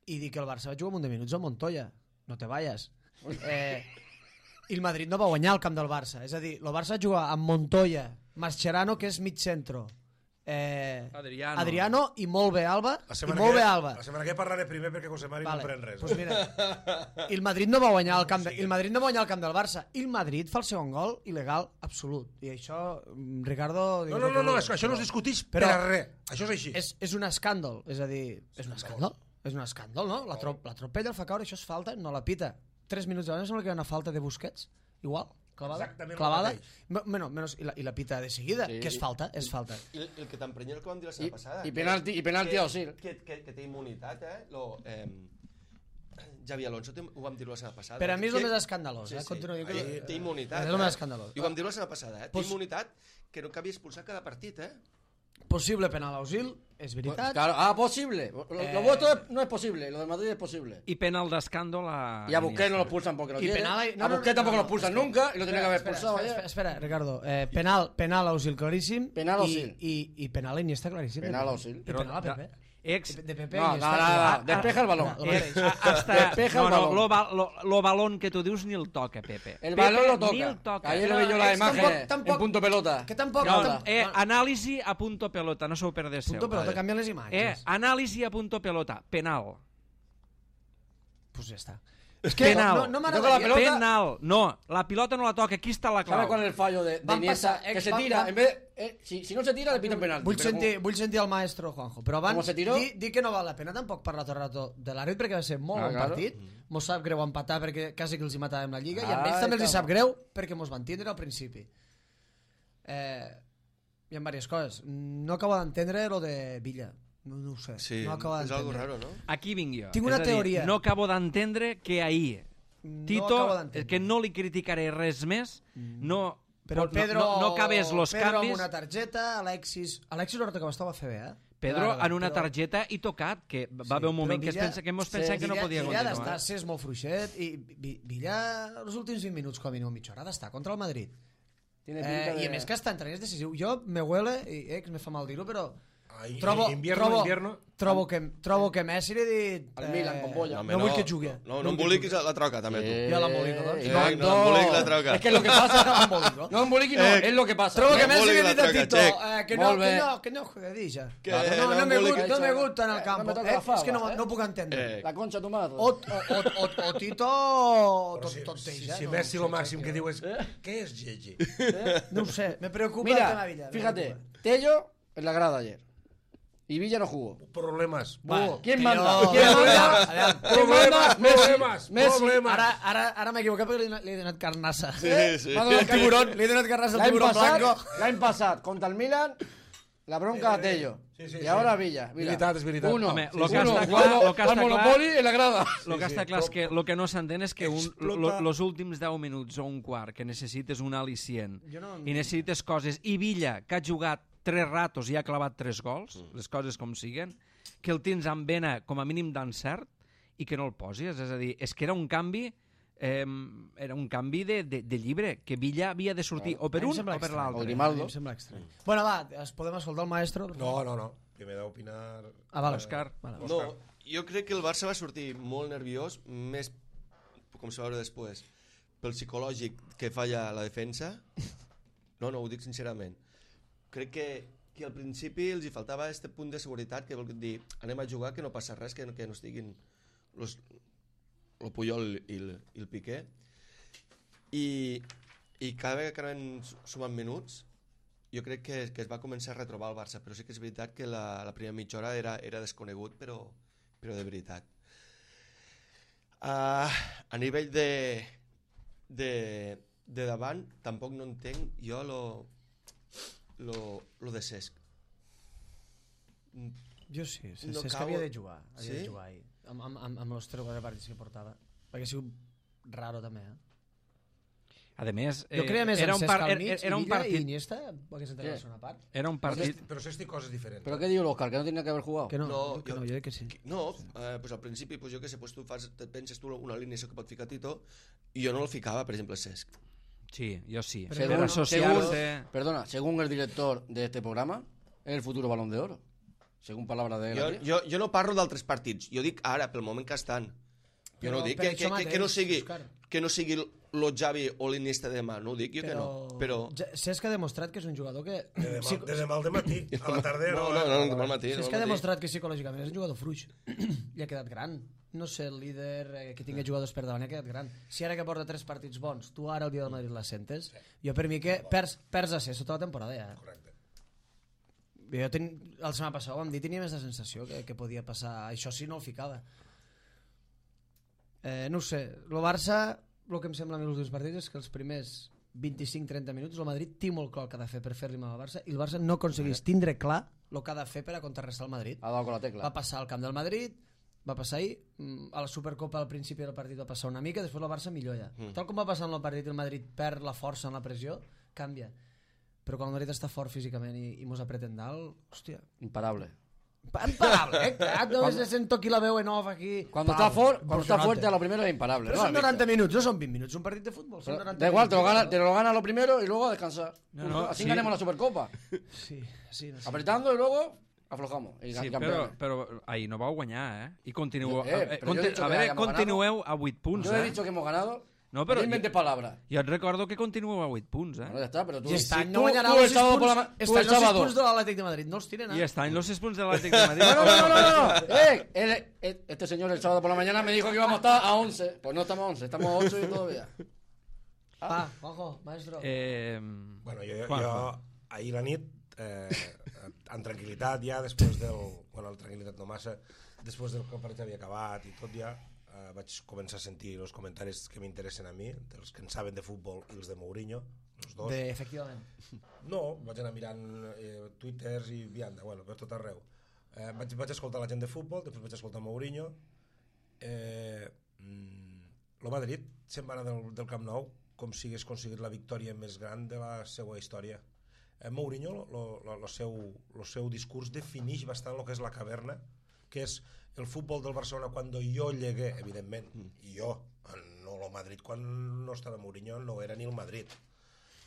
I dir que el Barça va jugar un munt de minuts amb Montoya. No te vayas. Eh, I el Madrid no va guanyar el camp del Barça. És a dir, el Barça va jugar amb Montoya, Mascherano, que és mig centro, eh, Adriano. Adriano i molt bé Alba, La i setmana, molt que, bé Alba. la setmana que parlaré primer perquè José Mari Vale, no pren res. pues mira, i el Madrid no va guanyar el camp de, i el Madrid no va guanyar el camp del Barça. I el Madrid fa el segon gol il·legal absolut. I això, mm, Ricardo... No, no, no, no, és que això no es discuteix per Però- a res. Això és així. És, és un escàndol, és a dir, és un escàndol. És un escàndol, no? La, trop, la tropella el fa caure, això és falta, no la pita. Tres minuts abans sembla que hi ha una falta de Busquets, igual, clavada, Exactament el clavada. mateix. Me- Bueno, menos, i, la, i la pita de seguida, Sí, que és i- falta, és falta. I el, el que t'emprenya el que vam dir la I, setmana passada. i penalti, i penalti que, a Osil. que, que, que té immunitat, eh? Lo, eh Javi Alonso, té, ho vam dir la setmana passada. Per a mi és Que- el més escandalós, Sí, eh? sí. Continuo dient que... Té, té immunitat. És el més eh? escandalós. I ho vam dir la setmana passada, eh? Pues- Té immunitat que no cabi expulsar cada partit, eh? Possible penal a Osil, és veritat. Claro, ah, posible. Lo, Eh. lo vuestro es- no es posible, lo de Madrid es posible. I penal d'escàndol a... Y a Busquets no lo expulsan porque no I quiere. penal... a Busquets tampoco lo expulsan nunca y lo tenía que haber espera, expulsado espera, ayer. espera, espera, Ricardo. Eh, penal, penal a Osil claríssim. Penal a i- Osil. I, i penal a Iniesta claríssim. Penal a Osil. I penal a Pepe. Ex... De, de Pepe No, i no, Iniesta. no, Ah, no, despeja el balón. lo Eh, mateix. a- hasta, Despeja no, el no, balón. lo, ba- lo, lo balón que tu dius ni el toca, Pepe. El Pepe balón lo Ni el toca. toca. Ayer lo No, vi yo la és imagen tampoc- tampoc- en punto pelota. Que tampoc... No, tam- eh, anàlisi a punto pelota, no s'ho perdéssiu. Punto pelota, Vale. canvien les Eh, imatges. anàlisi a punto pelota, penal. Pues ja està. És que penal. no, no Toca la m'agradaria... pelota. Penal. No, la pilota no la toca. Aquí està la ¿Sabes clau. cuál es el fallo de, de Van Iniesta? pasar, Que ex- se van- tira, van- en vez eh, si, si no se tira, le pitan penalti. Vull pero sentir, vull sentir el maestro Juanjo, però abans Com se tiró? dir, dir que no val la pena tampoc parlar tot el rato de l'àrbit perquè va ser molt Ah, bon claro. partit, mos sap greu empatar perquè quasi que els hi matàvem la Lliga i a Ah, ells també els hi està sap bo. greu perquè mos van tindre al principi. Eh, hi ha diverses coses. No acabo d'entendre lo de Villa. No, no ho sé. Sí, no acabo és algo d'entendre. raro, no? Aquí vinc jo. Tinc una És a dir, teoria. no acabo d'entendre que ahir No Tito, acabo d'entendre. que no li criticaré res més, no... Però no- Pedro, no, no acabés los Pedro canvis... amb una targeta, Alexis... Alexis l'hora que estava a fer bé, eh? Pedro M'agrada, en una però- targeta i tocat, que va Sí, haver un moment però que, es Villa- pensa, que mos sí, pensem que no Villa- podia Villa ha continuar. d'estar, si és molt fluixet, i Vi- Villa, els últims vint minuts, com a mínim mitja hora, ha d'estar contra el Madrid. Tiene Eh, pinta de... I a més que està entrant és decisiu. Jo me huele, i eh, que me fa mal dir-ho, però Ah, i- trobo, invierno, trobo, invierno. trobo, que, trobo que Messi li ha dit... Al Milan, con bolla. No, vull que jugui. No, no emboliquis la troca, també, tu. Eh, Jo l'embolico, doncs. eh, No, no, embolic la troca. Es que lo que pasa... Embolico. No emboliqui, no, Eh, es lo que pasa. Trobo que No Messi li embolic ha dit la a troca, Tito Check. eh, que, no, Molt que bé. no, que no juegui ja. Que no, no no, me embolic- gusta, no me gusta en el Eh, campo. no me toca Eh, la fava, és que no, eh? no puc entendre. Eh, La concha de tu madre. O, o, o, o, o Tito Però tot, si, tot si, teix, eh? si No, Messi no lo sé, màxim crec que diu és què és Gigi? No ho sé, me preocupa el tema Mira, Villa. me fíjate, preocupa. Tello en la grada ayer. Y Villa no jugó. Problemes. Va, ¿Quién que manda? jo- ¿Quién manda? Aviam, ¿Quién manda? Problemes, Messi. problemes, Messi. problemes. Ara, ara, ara m'he equivocat perquè li, he- li he donat carnassa. Sí, sí. M'ha donat El tiburón, li he donat carnassa al L'any tiburón passat, blanco. l'any passat, contra el Milan, la bronca a Tello. Sí, sí, y sí. ahora Villa. Mira. Veritat, és veritat. Uno, Home, sí, lo que uno, està clar- jugando lo que està al Monopoly en la grada. El que sí, està clar és però- que el que no s'entén és que un, Explota- lo, los últims deu minuts o un quart que necessites un al·licient Jo no- i necessites coses, i Villa, que ha jugat tres ratos i ha clavat tres gols, les coses com siguen, que el tens amb vena com a mínim d'encert i que no el posis, és a dir, és que era un canvi eh, era un canvi de, de, de llibre, que Villa havia de sortir o per A mi em un sembla o per estrany. O l'altre. Grimaldo. A mi em sembla estrany. Bueno, va, es podem escoltar el maestro? No, no, no. Primer d'opinar... Ah, vale. Òscar. Vale. No, jo crec que el Barça va sortir molt nerviós, més, com se va veure després, pel psicològic que falla la defensa. No, no, ho dic sincerament. Crec que, que al principi els hi faltava este punt de seguretat, que vol dir, anem a jugar, que no passa res, que no, que no estiguin los, el Puyol i el, i el Piqué. I, i cada vegada que anaven sumant minuts, jo crec que, que es va començar a retrobar el Barça, però sí que és veritat que la, la primera mitja hora era, era desconegut, però, però de veritat. Uh, a nivell de, de, de davant, tampoc no entenc jo lo, lo, lo de Cesc. Jo sí, sí, No sí, és que cau- havia de jugar, havia Sí? de jugar ahir, amb, amb, amb, amb els tres o quatre partits que portava, perquè ha sigut raro també, eh? A més, Jo creia més era en un, Cesc par, al era, mig, era un i Villa i partit, Iniesta, perquè s'entén la segona part. era un partit, Però s'estic coses diferents. ¿Pero qué digo, Oscar? ¿Que no tenía que haver jugado? Que no, No, que jo- no, jo crec que sí. No, eh, pues al principi, pues jo que sé, pues tu fas, te penses tu una alineació que pot ficar Tito, i jo no el ficava, per exemple, Cesc. sí, jo sí, Però per Según, associar-se... según- perdona, según el director de este programa, es el futuro Balón de Oro. Según palabras de él. Jo, aquí. jo, jo no parlo d'altres partits, jo dic ara, pel moment que estan. Jo Però no dic per que, que, això que, que no mateix, sigui Òscar. que no sigui lo Xavi o l'Iniesta de demà, no ho dic jo que no, però... Ja- Cesc ha demostrat que és un jugador que... De demà, Sí, de demà al matí, a la tarda... No, no, no, no, no al matí, no Cesc al ha matí. demostrat que psicològicament és un jugador fluix. I ha quedat gran. No sé, el líder eh, que tingui jugadors per davant ha quedat gran. Si ara que porta tres partits bons, tu ara el dia del Madrid la sentes, jo per mi que perds, perds a ser sota la temporada ja. Correcte. Jo ten... el setmana passada vam dir, tenia més la sensació que, que podia passar. Això sí no el ficava. Eh, no ho sé, el Barça, el que em sembla a mi els últims partits és que els primers vint-i-cinc trenta minuts el Madrid té molt clar el que ha de fer per fer-li mal al Barça i el Barça no aconsegueix tindre clar el que ha de fer per a contrarrestar el Madrid. Ha dado con la tecla. Va passar al camp del Madrid, va passar ahir, mm, a la Supercopa al principi del partit va passar una mica, després el Barça milloia. Mm. Tal com va passar en el partit, el Madrid perd la força en la pressió, canvia. Però quan el Madrid està fort físicament i, i mos apreten dalt, hòstia, Imparable. imparable, eh? Crac, no me sento aquí la veu en off aquí. Cuando Pam, está, for, cuando está impresionante. fuerte a lo primero es imparable. Però ¿no? són ¿Has visto? noranta minuts, no són vint minuts, un partit de futbol. Són Pero noranta da igual, te lo, minuts. gana, te lo gana lo primero y luego a descansar. No, no, Así sí. ganemos la Supercopa. Sí, sí, no sé. Apretando y luego aflojamos. Y, Sí, y però, campeones. però ahir no vau guanyar, eh? I continueu... Jo- eh, eh, però jo he conti- dicho a que veure, hayamos continueu a vuit punts, Yo he eh? dicho que hemos ganado. No, però No inventes palabras. jo et recordo que continueu a vuit punts, eh? Bueno, ya está, pero tú... I este any tú- no guanyarà tú el els sis sábado por la punts, ma- este tú el any els sis sábado. punts de l'Atlètic de Madrid. No els tiren, I eh? està en los sis punts de l'Atlètic de Madrid. No, no, no, no, no, no. Eh, él- él- este señor el sábado por la mañana me dijo que íbamos a estar a once. Pues no estamos a once, estamos a ocho y todavía. Ah, Juanjo, maestro. Eh, Bueno, jo, jo, Juanjo. jo ahir la nit, eh, en tranquil·litat ja, després del... Bueno, en tranquil·litat no massa, després del que el partit havia acabat i tot ja, eh, vaig començar a sentir els comentaris que m'interessen a mi, dels que en saben de futbol i els de Mourinho, els dos. De, efectivament. No, vaig anar mirant eh, twitters i vianda, bueno, per tot arreu. Eh, vaig, vaig escoltar la gent de futbol, després vaig escoltar Mourinho. Eh, mm, el Madrid se'n va anar del, del Camp Nou com si hagués aconseguit la victòria més gran de la seva història. Eh, Mourinho, el seu, lo seu discurs defineix bastant el que és la caverna, que és el futbol del Barcelona quan jo llegué, evidentment, i jo, no el Madrid, quan no estava Mourinho, no era ni el Madrid.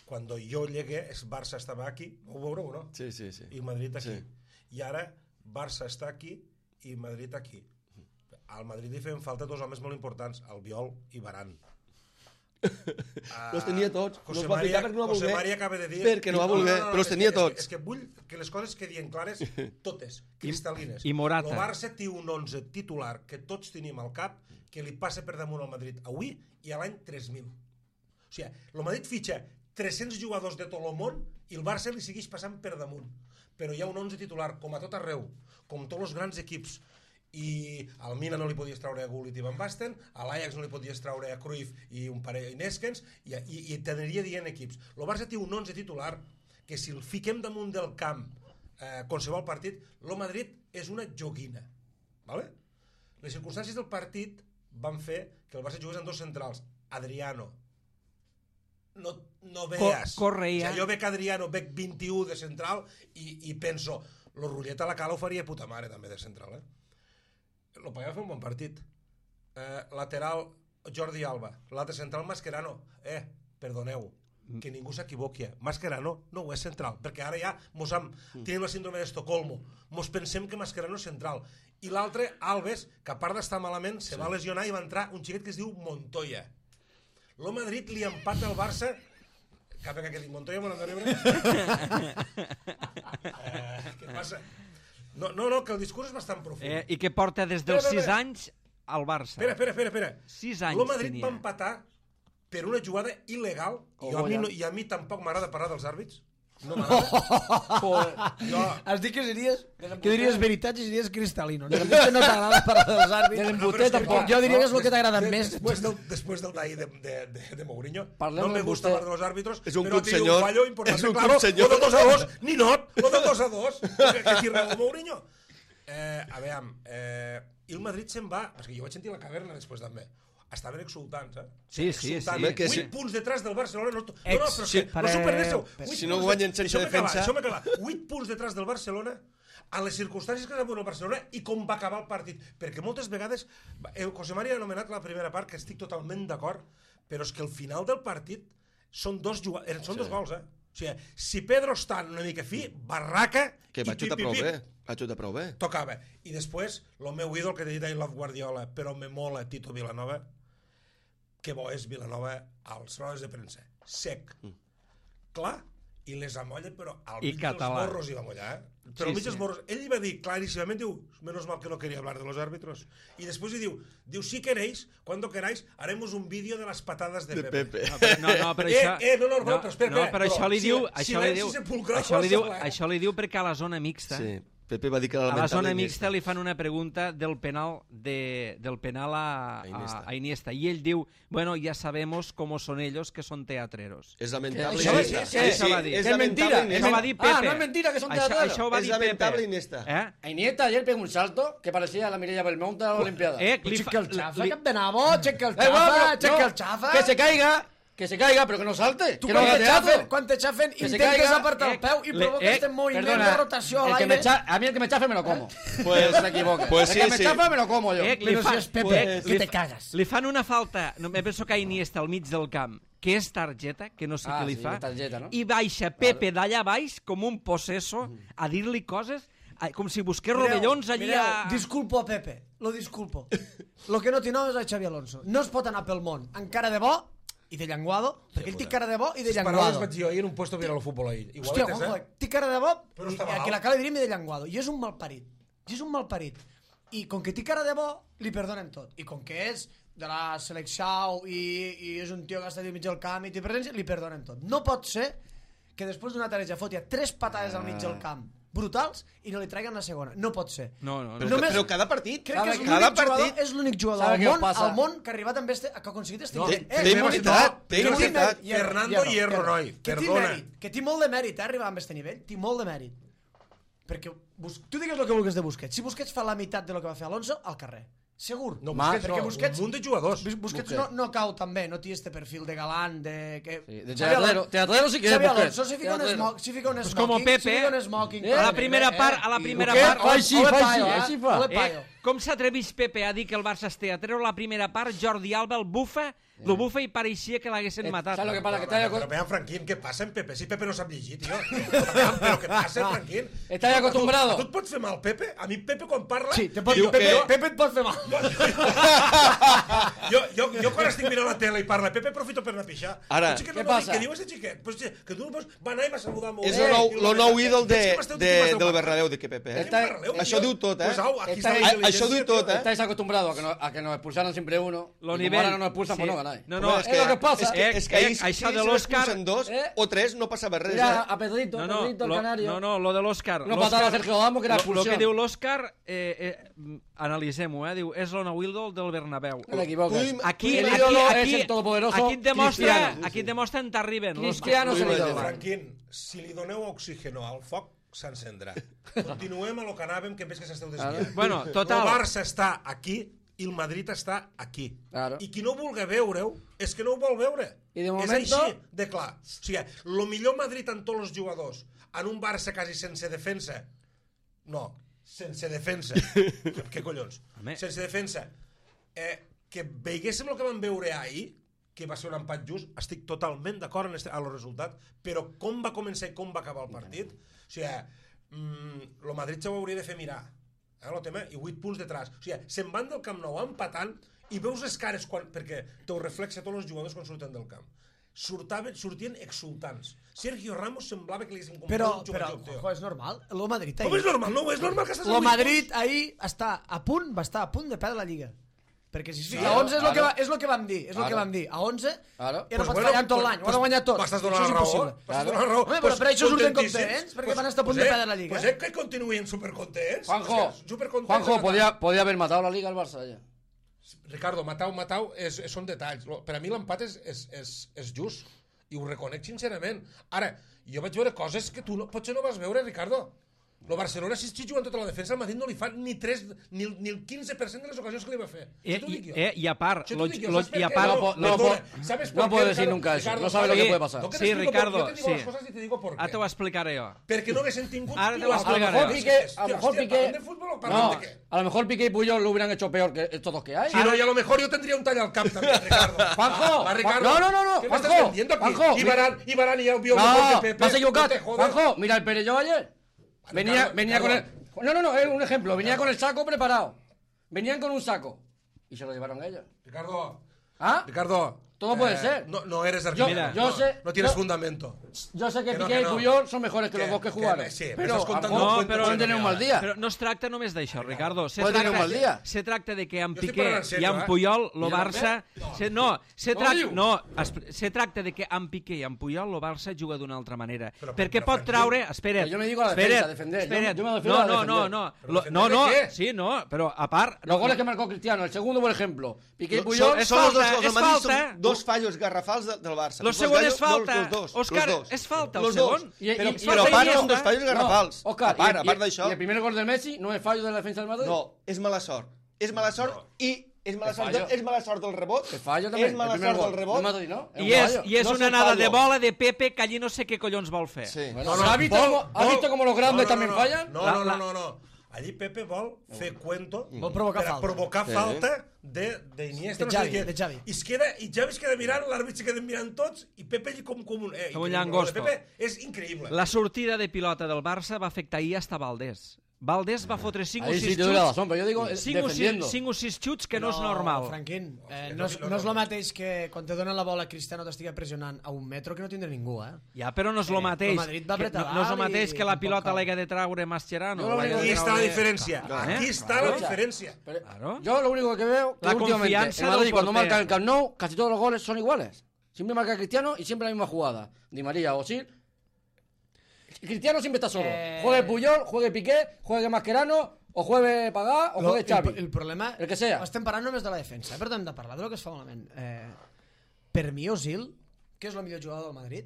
Quan jo llegué, el Barça estava aquí, ho veureu, no? Sí, sí, sí. I Madrid aquí. Sí. I ara Barça està aquí i Madrid aquí. Al Madrid li feien falta dos homes molt importants, Albiol i Varane. Uh, Los tenia tots. José No els va María, ficar perquè no va José voler. María acaba de dir... Perquè no va voler, però els tenia és que- tots. És que vull que les coses quedin clares, totes, cristal·lines. i Morata. El Barça té un onze titular que tots tenim al cap, que li passa per damunt al Madrid avui i a l'any tres mil. O sigui, el Madrid fitxa tres-cents jugadors de tot el món i el Barça li segueix passant per damunt. Però hi ha un onze titular, com a tot arreu, com tots els grans equips, i al Mina no li podies traure a Gullit i Van Basten, a l'Ajax no li podies traure a Cruyff i un parell i Neskens, i, i, i t'aniria dient equips. El Barça té un onze titular que si el fiquem damunt del camp eh, qualsevol partit, el Madrid és una joguina. ¿Vale? Les circumstàncies del partit van fer que el Barça jugués amb dos centrals, Adriano, no, no veas. Co Correa. O sigui, jo veig Adriano, veig vint-i-u de central i, i penso, lo Rullet a la cala ho faria puta mare també de central, eh? Lo pagava fer un bon partit. Eh, lateral, Jordi Alba. L'altre central, Mascherano. Eh, perdoneu, que ningú s'equivoqui. Mascherano no ho és central, perquè ara ja mos hem, tenim la síndrome d'Estocolmo. Mos pensem que Mascherano és central. I l'altre, Alves, que a part d'estar malament, se va lesionar i va entrar un xiquet que es diu Montoya. Lo Madrid li empata al Barça. Cap que dic Montoya, me l'han de rebre. eh, què passa? No, no, no, que el discurs és bastant profund. eh, I que porta des dels Espera, sis espera. anys al Barça. Espera, espera, espera. espera. Sis anys Lo Madrid tenia. va empatar per una jugada il·legal i a, mi no, i a mi tampoc m'agrada parlar dels àrbits. No m'agrada. jo, Has dit que diries, que diries veritats i diries cristal·lino. No, que no t'agrada parlar dels àrbits. Del no, embuté però és que, tampoc. clar, Jo diria que és el que des- t'agrada des- més. Després del, després del d'ahir de, de, de, de Mourinho, Parlem no me del gusta embuté. hablar de los árbitros, És un però club tiene senyor. un fallo importante, És un claro, club senyor. lo del dos a dos, ni not, lo del dos a dos, que, que qui reu Mourinho. Eh, a veure, eh, i el Madrid se'n va, perquè jo vaig sentir la caverna després també, estaven exultants, eh? Sí, sí, Exultants. sí. que sí. vuit punts detrás del Barcelona. No, no, no, Ex- però és sí, que per- no s'ho perdéssiu. per- Vuit Si no punts guanyen de- sense deixeu-me acabar, defensa. deixeu-me acabar. vuit punts detrás del Barcelona a les circumstàncies que es va veure el Barcelona i com va acabar el partit. Perquè moltes vegades, el José María ha anomenat la primera part, que estic totalment d'acord, però és que el final del partit són dos, juga... eh, són sí. dos gols, eh? O sigui, si Pedro està una mica fi, barraca Que i va xutar prou bé. Va xutar prou bé. tocava. I després, el meu ídol que t'he dit I love Guardiola, però me mola Tito Vilanova, que bo és Vilanova als rodes de premsa. Sec. Mm. Clar, i les amolla, però al I mig català. dels morros hi va mollar, eh? Però Sí, al mig sí. dels morros. Ell li va dir claríssimament, diu, menos mal que no quería hablar de los árbitros. I després li diu, diu, si queréis, cuando queráis, haremos un vídeo de las patadas de, De Pepe. Pepe. No, però, no, no, però Eh, això... eh, no, no, no, però espera, no, espera, però això però li si- diu... si Això li silenci diu, sepulcral això li diu, qualsevol, eh? això li diu perquè a la zona mixta... Sí. Pepe va dir que era A la lamentable zona Iniesta. mixta li fan una pregunta del penal de, del penal a, A Iniesta. a, a Iniesta i ell diu, bueno, ya sabemos cómo son ellos que son teatreros. És lamentable Això- Iniesta. sí, sí, això va dir. és Que és mentira, lamentable és Això Iniesta. va dir Pepe. Ah, no és mentira, que son això, teatreros. això ho va És dir lamentable Pepe. Iniesta. Eh? A Iniesta ayer pegó un salto que parecía la Mireia Belmonte a la Olimpiada. Eh, li Checa fa, el xafa, li, cap de nabo, checa el Da igual, xafa, pero- checa no, el xafa. Que se caiga, que se caiga, pero que no salte. Tu que no quan haga te teatro. xafen, quan te xafen Que se intentes caiga, apartar el eh, peu i le- provoques eh, este moviment Perdona, de rotació a el que l'aire. me cha- a mí el que me chafe me lo como. Pues- no se equivoque. pues sí, el que me sí. chafa me lo como yo. eh, li, Però fa, si és Pepe, eh, que li, te fa- cagas. li fan una falta, no, me penso que a Iniesta al mig del camp, que és targeta, que no sé Ah, què li sí, fa, targeta, no? i baixa Pepe d'allà baix com un possesso a dir-li coses a- com si busqués rovellons allí mireu, a... disculpo a Pepe, lo disculpo. Lo que no té nom és a Xavi Alonso. No es pot anar pel món, encara de bo, i de llenguado, perquè ell té cara de bo i de Les paraules llenguado. vaig dir jo ahir en un puesto viral al futbol ahir. Hòstia, Igualetes, Juanjo, eh? té cara de bo Però i està a malalt. qui la cara diríem i de llenguado. I és un malparit. I és un malparit. I com que té cara de bo, li perdonen tot. I com que és de la selecció i, i és un tio que està al mig del camp i té presència, li perdonen tot. No pot ser que després d'una tareja foti a tres patades al mig del camp brutals i no li traiguen la segona. No pot ser. No, no, no. Però, Només- però cada partit, Crec que és cada l'únic partit... jugador, és l'únic jugador Sabe al què món, passa? al món que ha arribat amb este, que ha aconseguit este No, nivell. té que imunitat, té que imunitat. mèrit, Fernando Hierro, noi, que té perdona. mèrit, que té molt de mèrit, eh, arribar amb este nivell, té molt de mèrit. Perquè Bus... tu digues el que vulguis de Busquets. Si Busquets fa la meitat de lo que va fer Alonso, al carrer. Segur. No, Ma, Busquets, perquè no, Busquets- un munt de jugadors. Bus- Busquets no, no cau també, no té este perfil de galant, de... Que... Sí, de Xavi teatrero, Alonso- teatrero sí que és Xavi Busquets. Alonso si fica un Teatrero. smoking, si fica un Pues smoking, como Pepe, si fica un smoking... eh, A la eh, primera eh, part, a la i primera Busquets, part... ole- Ai, sí, ole fa paio, així, eh? així fa. Ole Eh, paio. com s'atreveix Pepe a dir que el Barça es té a treure la primera part, Jordi Alba el bufa, lo bufa i pareixia que l'haguessin Eh, matat. ¿sabes lo que pasa? Que está, Però, acos- però vean, Franquín, què passa en Pepe? Si Pepe no sap llegir, tio. Vean, però què passa, Franquín? Estàs acostumbrado. A tu, a tu et pot fer mal, Pepe? A mi Pepe, quan parla... Sí, te pot, diu Pepe, que- Pepe et pot fer mal. jo, jo, jo quan estic mirant la tele i parla Pepe, aprofito per anar a pixar. Ara, Un xiquet què no va dir, passa? Què diu este xiquet? Pues, que tu pues, va anar i va saludar molt. És bé, el nou, i lo nou eh, ídol de, veig que m'esteu- de, que m'esteu del parlant. Bernabéu, de que Pepe. Eh? Está- Bernabéu, Això tio. diu tot, eh? Pues, au, aquí Está- està la a- això intel·ligència, diu tot, tio. eh? Estáis acostumbrados a que, no, a que nos expulsaran siempre uno. Lo y como nivell. ahora no nos expulsan, Sí. pues no ganáis. No, no, Home, és és el que passa. És que, Eh, és que ahir, eh, si, això si de se l'Òscar- n'expulsen dos Eh? o tres, no passava res. Mira, eh? a Pedrito, No, a no, Pedrito, el lo, canario. no, no, lo de l'Òscar. Una patada a Sergio Damo, que era Lo expulsió. que diu l'Òscar, eh, eh, analitzem-ho, eh, diu, és el nou ídol del Bernabéu. No te equivoques. Tu- Aquí, El aquí, ídolo aquí, es el todopoderoso aquí et demostra, Cristiano. aquí et demostra en t'arriben. Cristiano és es el el ídolo. Franquín, si li doneu oxígeno al foc, s'encendrà. Continuem a lo que anàvem, que veig que s'esteu desviant. Bueno, total. El Barça està aquí i el Madrid està aquí. Claro. I qui no vulgui veure-ho és que no ho vol veure. I de És momento- així de clar. O sigui, el millor Madrid en tots els jugadors, en un Barça quasi sense defensa, no, sense defensa, què, què collons? Home. Sense defensa, eh, que veiguéssim el que vam veure ahir, que va ser un empat just, estic totalment d'acord en este, a los resultats, però com va començar i com va acabar el partit, o sigui, mm, el Madrid se ho hauria de fer mirar, eh, el tema, i vuit punts detrás. O sigui, se'n van del Camp Nou empatant i veus les cares, quan, perquè te ho reflexa tots els jugadors quan surten del camp. Surtaven, sortien exultants. Sergio Ramos semblava que li haguessin comprat Però, un però, xupa-xup, tio. Juanjo, és normal. El Madrid Com és ahir... normal? No, és normal que estàs a El vuit Madrid punts. ahir està a punt, va estar a punt de perdre la Lliga. Perquè si es fica Claro, a onze és el que, claro. va, és el que vam dir, és el que Claro. vam dir. A onze Claro. ja no Pues pots bueno, fallar en tot pues- l'any, ho pues has guanyat tot. M'estàs Això donant és la raó. impossible. M'estàs Claro. donant la raó. Home, però Pues per això surten contentíssims. contents, perquè Pues- van estar a punt pues de eh, perdre la Lliga. Pues eh, que continuen supercontents. Juanjo, O sea, supercontents Juanjo de podía, podía haber matado la liga al Barça ya. Ricardo, Matau, Matau, és, és, són detalls. Lo- Per a mi l'empat és, és, és, és just. I ho reconec sincerament. Ara, jo vaig veure coses que tu no, potser no vas veure, Ricardo. El Barcelona, si estic jugant tota la defensa, el Madrid no li fa ni, tres, ni, el- ni el quinze per cent de les ocasions que li va fer. Eh, Això t'ho dic i, jo. eh, I a part, Això t'ho lo, dic jo, lo, ¿sabes per i a qué? part, No, po- no, perdona, po- ¿sabes no por puede qué, decir Ricardo? nunca eso, Ricardo, no sabe lo que ¿sabes? puede pasar. No, que te Sí, explico por- Ricardo, yo te digo sí. las cosas y te digo por qué. ara t'ho explicaré jo. Perquè no haguessin tingut... Ara te ho Tio, explicaré. A lo mejor Hòstia, Piqué, a lo hòstia, mejor Piqué, ¿parlen de fútbol o parlen no, de qué? a lo mejor Piqué y Puyol lo hubieran hecho peor que estos dos que hay. Si no, y a lo mejor yo tendría un tall al camp también, Ricardo. Juanjo, Va, Ricardo. no, no, no, no, ¿Qué me estás Juanjo, vendiendo aquí? Juanjo, Y Varane, y Varane ya vio No, mejor que Pepe. vas a equivocar. No te jodas. Juanjo, mira el Perelló ayer. Venía, Ricardo, venía con el... Ricardo. No, no, no, es un ejemplo. Venía con el saco preparado. Venían con un saco. Y se lo llevaron ellos. Ricardo, ¿Ah? Ricardo. Todo puede ser. No, no eres Yo- argentino. yo no, sé- no tienes yo- fundamento. Yo sé que, Que no, Piqué que y no. Puyol son mejores que, Que- los dos que que- jugaron. sí, me pero estás a lo contando mejor un pueden cuento pueden de tener un mierda. mal día. Però no es tracta només d'això, Ricardo. Se Puede tener un tracta, mal dia. se tracta de que amb Jo estic Piqué parlant en i sèrio, amb eh? Puyol, lo I amb Barça... Se, no, se Com tracta, diu? no, es, se tracta de que amb Piqué i amb Puyol lo Barça juga d'una altra manera. Però- perquè però, pot Franquí, traure... Espera't, Pero yo me digo a la espera't, defensa, defender. Yo- espera't. yo me refiero no, a no, defender. no, no, ¿Pero Lo- defender no, de no, qué? sí, no, però a part... Los goles que marcó Cristiano, el segundo, por ejemplo. Piqué y Son- Puyol. és Són els dos falta, gols del és Madrid, falta. són dos fallos garrafals de, del Barça. Lo Dos segon gallos- és falta. Los dos, Òscar, los dos. és falta, el Los dos. segon. Y- y- Però, y- però a falta part i són ja dos està. fallos garrafals. No, Oscar, a part, y, a part y- d'això... y el primer gol de Messi no es fallo de la defensa del Madrid. No, és mala sort. És mala sort i... És mala, Que sort, fallo. és mala sort del rebot. Que fallo también. És mala el primer sort gol. del rebot. No Madrid, ¿no? Es I un és, fallo. i és No una és un anada de fallo. bola de Pepe que allí no sé què collons vol fer. Sí. Bueno, ¿has visto cómo- has visto cómo los grandes también fallan? No, La- no, no, la- no, no. Allí Pepe vol fer cuento Vol provocar per a falta. provocar Sí. falta de, de Iniesta, De no sé Xavi, què. de Xavi. I, es queda, I Xavi es queda mirant, l'àrbit se queda mirant tots i Pepe allí com, com un... Eh, Com un increïble. llangosto. Lo de Pepe és increïble. La sortida de pilota del Barça va afectar ahir hasta Valdés. Valdés va fotre cinc o Ahí sis sí te doy la xuts, razón, pero yo digo eh, cinc o sis, defendiendo. cinc o sis xuts que no, és normal. Franquín, eh, no, és, no és el mateix que quan te donen la bola Cristiano t'estigui pressionant a un metro que no tindrà ningú, eh? Ja, però no és el Eh, mateix. el Madrid va que, apretar no, no és el dalt mateix i que la tampoc pilota cal. l'haga de traure Mascherano. Jo lo l'haga único- de Aquí està la traure- diferència. Claro, Aquí eh? está la Claro. diferència. Pero Claro. Yo lo único que veo que La últimamente confianza el Madrid del cuando portero. marca el Camp Nou casi todos los goles son iguales. Siempre marca Cristiano y siempre la misma jugada. Di María o Sil. Cristiano siempre está solo. Eh. Juegue Puyol, juegue Piqué, juegue Mascherano, o juegue Pagá, o Lo- juegue Xavi. el, el problema... El que sea. Estem parlant només de la defensa, eh? Però hem de parlar del que es fa malament. Eh, per mi, Ozil, que és el millor jugador del Madrid,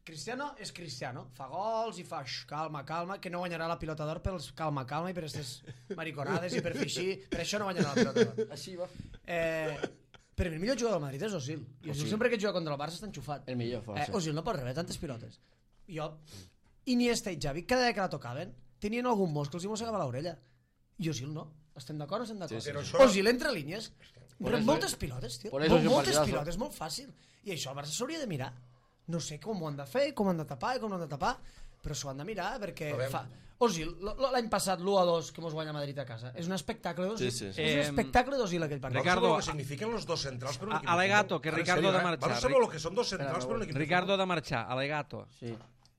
Cristiano és Cristiano. Fa gols i fa x, calma, calma, que no guanyarà la pilota d'or pels calma, calma i per aquestes mariconades i per fer així. Per això no guanyarà la pilota d'or. Así va. Eh, per mi el millor jugador del Madrid és Ozil. I Ozil sempre que juga contra el Barça està enxufat. El millor, fa, Eh, sí. Ozil no pot rebre tantes pilotes. Jo, Iniesta i Xavi, cada vegada que la tocaven, tenien algun mos que els hi mossegava l'orella. I Ozil no. Estem d'acord o estem d'acord? Sí, sí. Però això- Ozil entre línies, Por rep eso- moltes pilotes, tio. por eso Molt- és un moltes partidazo. pilotes, molt fàcil. I això el Barça s'hauria de mirar. No sé com ho han de fer, com ho han de tapar i com ho han de tapar, però s'ho han de mirar perquè Veurem. fa... Ozil, l- l- l'any passat l'u a dos que mos guanya Madrid a casa, és un espectacle d'Ozil. Sí, sí, sí. És un Eh, espectacle d'Ozil aquell partit. Ricardo, ¿Vos sabeu lo que signifiquen los dos centrals per un A- equip? alegato, que Ara, en Ricardo serio, ha de eh? marxar. ¿Vos sabeu lo que son dos centrals per un equip? de Ricardo futbol? de marxar, alegato. Sí.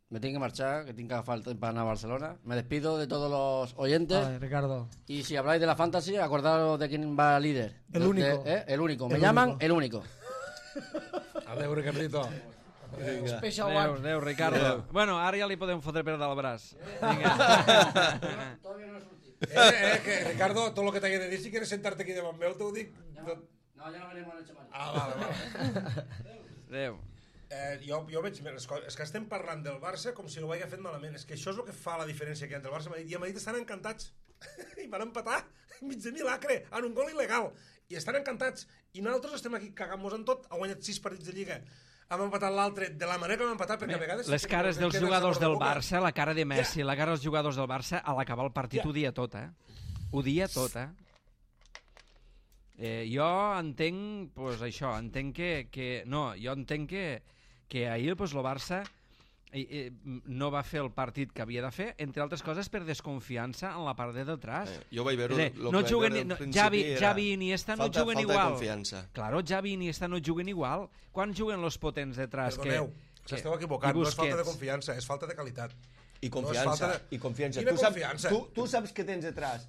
Me tengo que marchar, que tengo que falta para anar a Barcelona. Me despido de todos los oyentes. Vale, Ricardo. Y si habláis de la fantasy, acordaros de quién va líder. El De- único. de- ¿eh? El único. Me El llaman único. el único. Adéu, Ricardito. Special Adéu, one. adéu, Ricardo. Bueno, ara ja li podem fotre per dalt el braç. Vinga. Eh, eh, que Ricardo, tot el que t'hagi de dir, si quieres sentarte aquí davant meu, t'ho dic... tot- No, ya no veremos en el chaval. Ah, vale, vale. Adéu. Eh, jo, jo veig les coses. És que estem parlant del Barça com si no ho hagués fet malament. És que això és el que fa la diferència que hi ha entre el Barça i el Madrid. I el Madrid estan encantats. I van empatar mig de milagre en un gol il·legal. I estan encantats. I nosaltres estem aquí cagant-nos en tot. Ha guanyat sis partits de Lliga. Hem empatat l'altre de la manera que hem empatat, perquè a vegades... Les cares dels jugadors del Barça, la cara de Messi, la cara dels jugadors del Barça, a l'acabar el partit Ja. ho dia tot, eh? Ho dia tot, eh? eh jo entenc, pues, això, entenc que, que... No, jo entenc que, que ahir pues, el Barça eh, eh, no va fer el partit que havia de fer, entre altres coses per desconfiança en la part de detrás. Eh, jo vaig veure... És a dir, lo que no vaig juguen, veure al no, principi Xavi, era Xavi i Iniesta no falta- juguen falta de igual. confiança. Claro, Xavi i Iniesta no juguen igual. Quan juguen los potents detrás? Perdoneu, que, s'esteu que- equivocant. i No és falta de Busquets? confiança, és falta de qualitat. I No és confiança, falta de- i confiança. Quina Tu saps, confiança? tu, tu saps que tens detrás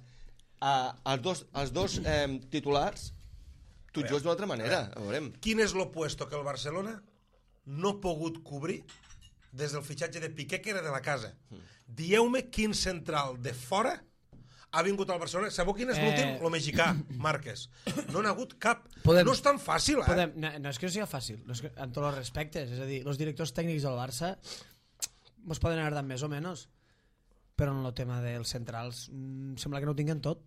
a, als dos, als dos eh, titulars, tu veure, jugues d'una altra manera, ho veurem. Quin és l'opuesto que el Barcelona no ha pogut cobrir des del fitxatge de Piqué, que era de la casa? Dieu-me quin central de fora ha vingut al Barcelona. Sabeu quin és Eh. l'últim? Lo mexicà, Márquez. No n'ha hagut cap. Podem- No és tan fàcil, eh? Podem, no, no és que no sigui fàcil, no és que, amb tots els respectes, és a dir, els directors tècnics del Barça mos poden agradar més o menys, però en el tema dels centrals mm, sembla que no ho tinguen tot.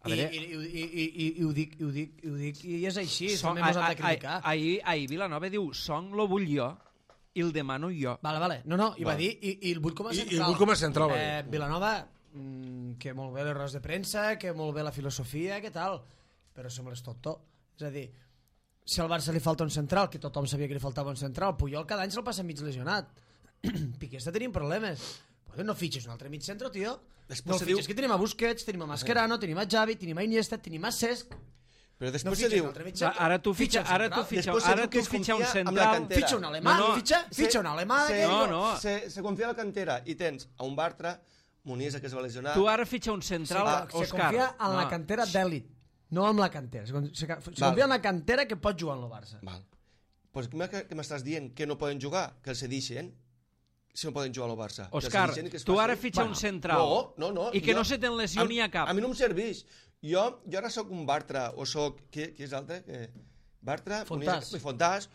A I, veure- i, i, i, i, i, ho dic, i, ho dic, i ho dic, i és així, Song- també mos han de a- a- criticar. Ahir, ahir Vilanova diu, Song lo vull jo i el demano jo. Vale, vale, no, no, i va Vale. dir, i, i el vull com a I- i central. el vull com a central, va dir. Eh, Vilanova, mm, que molt bé les rodes de premsa, que molt bé la filosofia, que tal, però sembla és tot tot. És a dir, si al Barça li falta un central, que tothom sabia que li faltava un central, Puyol cada any se'l passa mig lesionat. Piqué està tenint problemes. Pues no fitxes un altre mig centre, tio. Després No se fitxes, diu- que tenim a Busquets, tenim a Mascherano, tenim a Xavi, tenim a Iniesta, tenim a Cesc. Però No després se fitxes diu... un altre mig Clar, centre. ara tu fitxa, un ara tu central. fitxa, Després se ara diu que tu es fitxa un confia amb la central. cantera. Fitxa un alemà, No, no. fitxa, fitxa un alemà. se, que- No, no. Se, se confia a la cantera i tens a un Bartra, Muniesa, que es va lesionar... Tu ara fitxa un central, Ah, se Òscar. confia en la No. cantera d'èlit, no amb la cantera. Se, con- se, se Val. confia en la cantera que pot jugar en el Barça. Val. Pues què que m'estàs dient? Que no poden jugar? Que els cedixen? Si no poden jugar al Barça. Que els Òscar, cedixen i que es tu facin? ara fitxa un central. No, no, no. I que jo- no se te'n lesioni a cap. A mi no em serveix. Jo, jo ara sóc un Bartra, o sóc... Qui, qui és l'altre? Que... Bartra, Fontàs. Muniesa, Fontàs.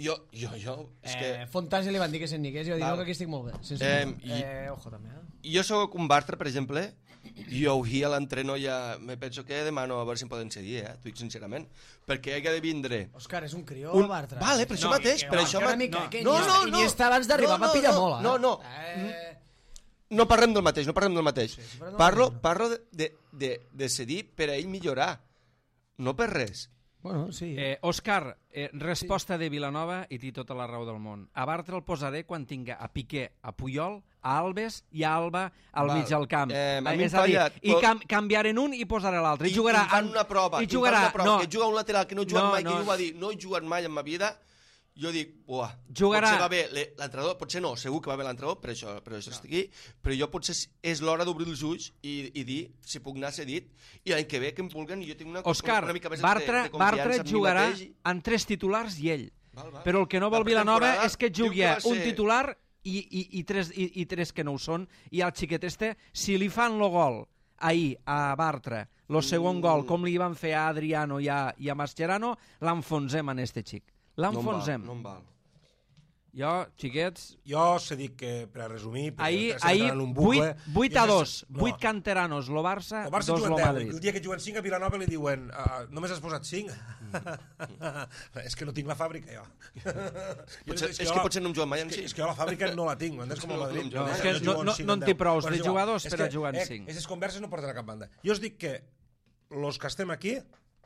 Jo, jo, jo... És Eh, que... Fontàs li van dir que se'n nigués i va dir Val. no, que aquí estic molt bé. Sense Eh, eh, i- eh, ojo també, eh? Jo sóc un Bartra, per exemple, i jo avui a l'entreno ja me penso que demano a veure si em poden cedir, eh? T'ho dic sincerament. Perquè hi ha de vindre... Òscar, és un crió, Un... Bartra. Vale, per això No, mateix, Que per va, això... que una ma- mica, no. que No, Iniesta, no, no. Iniesta abans d'arribar No, va no, pillar no, molt, eh? no, no. Eh, No parlem del mateix, no parlem del mateix. Sí, sí, parlem del parlo mateix. parlo de, de, de, de cedir per a ell millorar, no per res. Bueno, sí. Eh, Òscar, eh, resposta sí. de Vilanova i té tota la raó del món. A Bartra el posaré quan tinga a Piqué, a Puyol, a Alves i a Alba al Val. mig del camp. Eh, a mi és a dir, falla, i però... cam canviaré un i posaré l'altre. I, I, jugarà... i fan una prova, I jugarà... i fan una prova, no. que juga un lateral que no he jugat No, mai, no. que ell ho va dir, no he jugat mai en ma vida, jo dic, uah, Jugarà- potser va bé le- l'entrenador, potser no, segur que va bé l'entrenador, per això, per això estic aquí, però jo potser és l'hora d'obrir els ulls i, i dir si puc anar cedit, i l'any que ve que em vulguen, i jo tinc una, Òscar, una mica més Bartra, de, de confiança Bartra en mi jugarà mateix. I... en tres titulars i ell. Val, val. Però el que no vol La Vilanova pretemporada és que diu jugui que va un ser- titular i, i, i, tres, i, i tres que no ho són, i al xiquet este, si li fan lo gol ahir a Bartra, lo segon Mm. gol, com li van fer a Adriano i a, i a Mascherano, l'enfonsem en este xic. L'enfonsem. No em val. Jo, xiquets, Jo se dic que, per a resumir... perquè ahir, estem ahir entrant en un bucle, vuit i a és- dos, no. vuit canteranos, lo Barça, El Barça dos juguen lo deu, Madrid. el dia que juguen cinc a Vilanova li diuen uh, només has posat cinc? És que no tinc la fàbrica, jo. Potser, és, és que jo- potser no em juguen mai és amb que, cinc. és que jo la fàbrica no la tinc, m'entens com a No, Madrid? no, No, és és que jugo no, en no, cinc no en en té deu. prous Però de és igual. jugadors És per a que, jugar en eh, cinc. Aquestes converses no porten a cap banda. Jo us dic que los que estem aquí,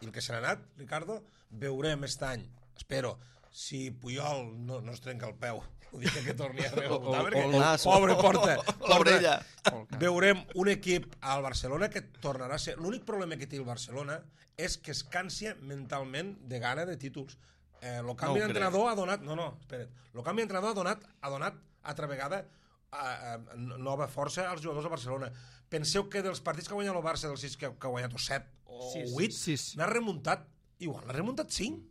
i el que se n'ha anat, Ricardo, veurem aquest any, espero, si Puyol no, no es trenca el peu el dia que torni a O- rebotar, o- perquè o el nas, pobre o- porta, o l'orella. porta. Veurem un equip al Barcelona que tornarà a ser... L'únic problema que té el Barcelona és que es cansia mentalment de gana de títols. Eh, el canvi No ho d'entrenador ha donat... No, no, espera't. El canvi d'entrenador ha donat, ha donat altra vegada a, a, nova força als jugadors del Barcelona. Penseu que dels partits que ha guanyat el Barça, dels sis que, que ha guanyat o set o Sis, vuit, sis. n'ha remuntat, igual n'ha remuntat cinc.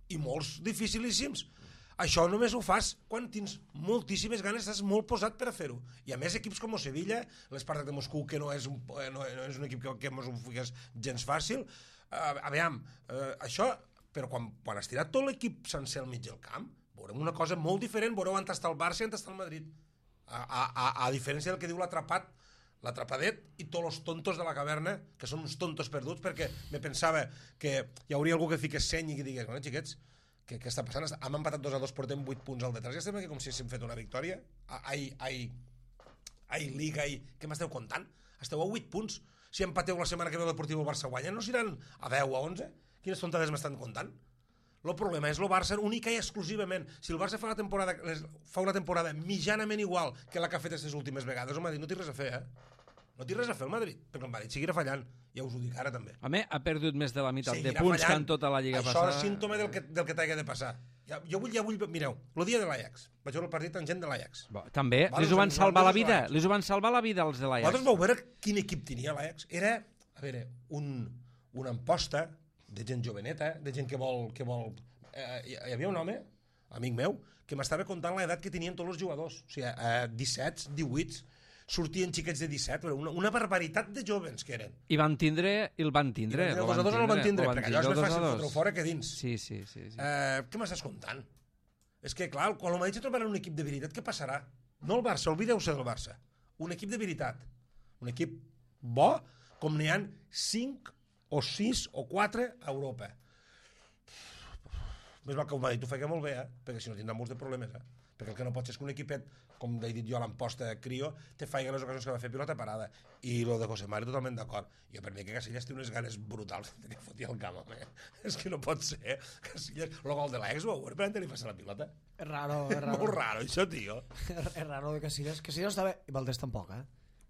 I molts dificilíssims. Això només ho fas quan tens moltíssimes ganes, estàs molt posat per a fer-ho. I a més equips com el Sevilla, l'Espartak de Moscou, que no és un, eh, no, no és un equip que, que mos ho fiques gens fàcil, uh, aviam, uh, això, però quan, quan has tirat tot l'equip sencer al mig del camp, veurem una cosa molt diferent, veureu on està el Barça i on està el Madrid. A, a, a, a diferència del que diu l'atrapat, l'atrapadet i tots els tontos de la caverna, que són uns tontos perduts, perquè me pensava que hi hauria algú que fiqués seny i que digués, bueno, xiquets, què, què està passant? Hem empatat dos a dos, portem vuit punts al detrás, ja estem aquí com si haguéssim fet una victòria. Ai, ai, ai, Liga, ai, què m'esteu contant? Esteu a vuit punts. Si empateu la setmana que ve el Deportiu el Barça guanya, no seran a deu, a onze? Quines tontades m'estan contant? El problema és el Barça única i exclusivament. Si el Barça fa, la temporada, fa una temporada mitjanament igual que la que ha fet aquestes últimes vegades, el Madrid no té res a fer, eh? No té res a fer el Madrid, perquè el Madrid seguirà fallant. Ja us ho dic ara també. A mi ha perdut més de la meitat de Seguirà punts fallant. que en tota la Lliga Això passada. és símptoma del que, del que t'hagué de passar. Ja, jo vull, ja vull... Mireu, el dia de l'Ajax. Vaig veure el partit amb gent de l'Ajax. Bo, també, Vale, les ho van us salvar la van vida, l'Ajax. les ho van salvar la vida els de l'Ajax. Vosaltres vau veure quin equip tenia l'Ajax? Era, a veure, un, una amposta de gent joveneta, de gent que vol... Que vol eh, hi havia un home, amic meu, que m'estava contant l'edat que tenien tots els jugadors. O sigui, eh, disset, divuit, sortien xiquets de disset, però una, una barbaritat de jovens que eren. I van tindre, i el van tindre. I el lo dos a dos el van tindre, lo van perquè allò és tindre, més el dos a fàcil dos. fotre-ho fora que dins. Sí, sí, sí. sí. Eh, què m'estàs contant? És que, clar, quan el Madrid se trobarà un equip de veritat, què passarà? No el Barça, oblideu-se del Barça. Un equip de veritat. Un equip bo, com n'hi ha cinc o sis o quatre a Europa. Més val que el Madrid ho faci molt bé, eh? Perquè si no tindrà molts de problemes, eh? Perquè el que no pot ser és que un equipet, com he dit jo a l'emposta Crio, te faig les ocasions que va fer pilota parada. I lo de José Mari totalment d'acord. Jo per mi que Casillas té unes ganes brutals de que foti el camp, home. És que no pot ser, eh? Casillas, el gol de l'Ajax, ho veure per on li passa la pilota. És raro, és raro. Molt raro, això, tio. És raro de Casillas. Casillas està bé. I Valdés tampoc, eh?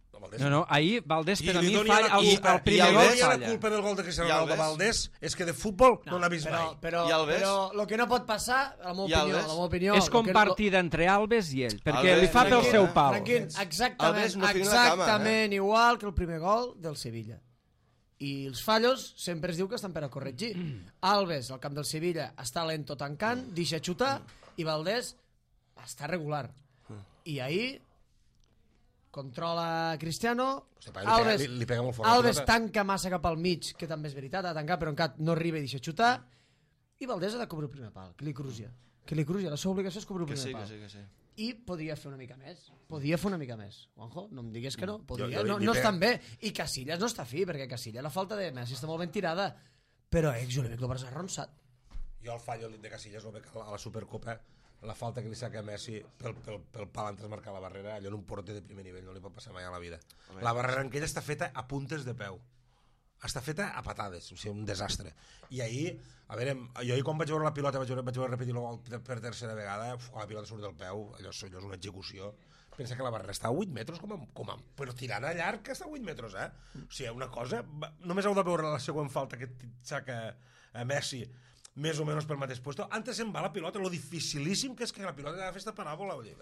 No, Valdés, No, no, ahir Valdés per a mi li doni falla, la el, culpa- el primer i gol li doni la falla. culpa del gol de Cristiano I Ronaldo Alves? Valdés és que de futbol no n'ha vist però, mai. però, I Alves? però el que no pot passar, a la meva I opinió, Alves? a la meva opinió... És lo que- compartida entre Alves i ell, perquè Alves, li fa pel Franquín, seu pal. Franquín, exactament, Alves no fica la cama, exactament igual que el primer gol del Sevilla. I els fallos sempre es diu que estan per a corregir. Alves, al camp del Sevilla, està lento tancant, deixa xutar, i Valdés està regular. I ahir controla Cristiano, Hosti, pa, li pega- Alves, li- li pega molt fort la Alves pilota. tanca massa cap al mig, que també és veritat, ha tancat, però encara no arriba i deixa xutar, i Valdés ha de cobrir el primer pal, que li crugia. Que li crugia, la seva obligació és cobrir el Que primer sí, pal. que sí, que sí. I podria fer una mica més. Podria fer una mica més. Juanjo, no em diguis que no. Podria. Jo- jo li- no, li no pega- estan bé. I Casillas no està fi, perquè Casillas la falta de Messi està molt ben tirada. Però eh, jo li veig el Barça arronsat. Jo el fallo de Casillas el veig a la, a la Supercopa, la falta que li saca a Messi pel, pel, pel pal antes de marcar la barrera, allò en un porter de primer nivell no li pot passar mai a la vida. La barrera en aquella està feta a puntes de peu. està feta a patades, o sigui, un desastre. I ahir, a veure, jo ahir quan vaig veure la pilota, vaig veure, vaig veure repetir el gol per tercera vegada, uf, la pilota surt del peu, allò, allò és una execució. Pensa que la Barra està a vuit metres, com a, com a, però tirant a llarg que està a vuit metres, eh? O sigui, una cosa... Només heu de veure la següent falta que saca a Messi, més o menys pel mateix puesto. Antes se'n va la pilota, lo dificilíssim que és que la pilota ha de fer esta paràbola. Vull dir,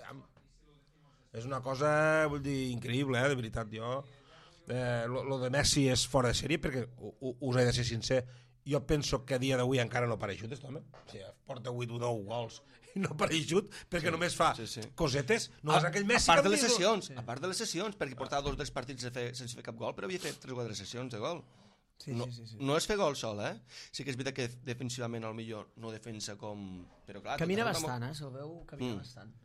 és una cosa, vull dir, increïble, eh? De veritat, jo... Eh, lo, lo de Messi és fora de sèrie perquè us he de ser sincer, jo penso que a dia d'avui encara no pareixut aquest home, o sigui, porta vuit o nou gols i no pareixut perquè sí, només fa sí, sí. cosetes, no a, és aquell Messi a part de les diu... sessions, sí. a part de les sessions perquè portava dos o tres partits de fer, sense fer cap gol però havia fet tres o quatre sessions de gol sí, no, sí, sí, sí. no és fer gol sol, eh? Sí que és veritat que defensivament al millor no defensa com... Però clar, camina bastant, molt... eh? Se'l veu, camina mm. bastant.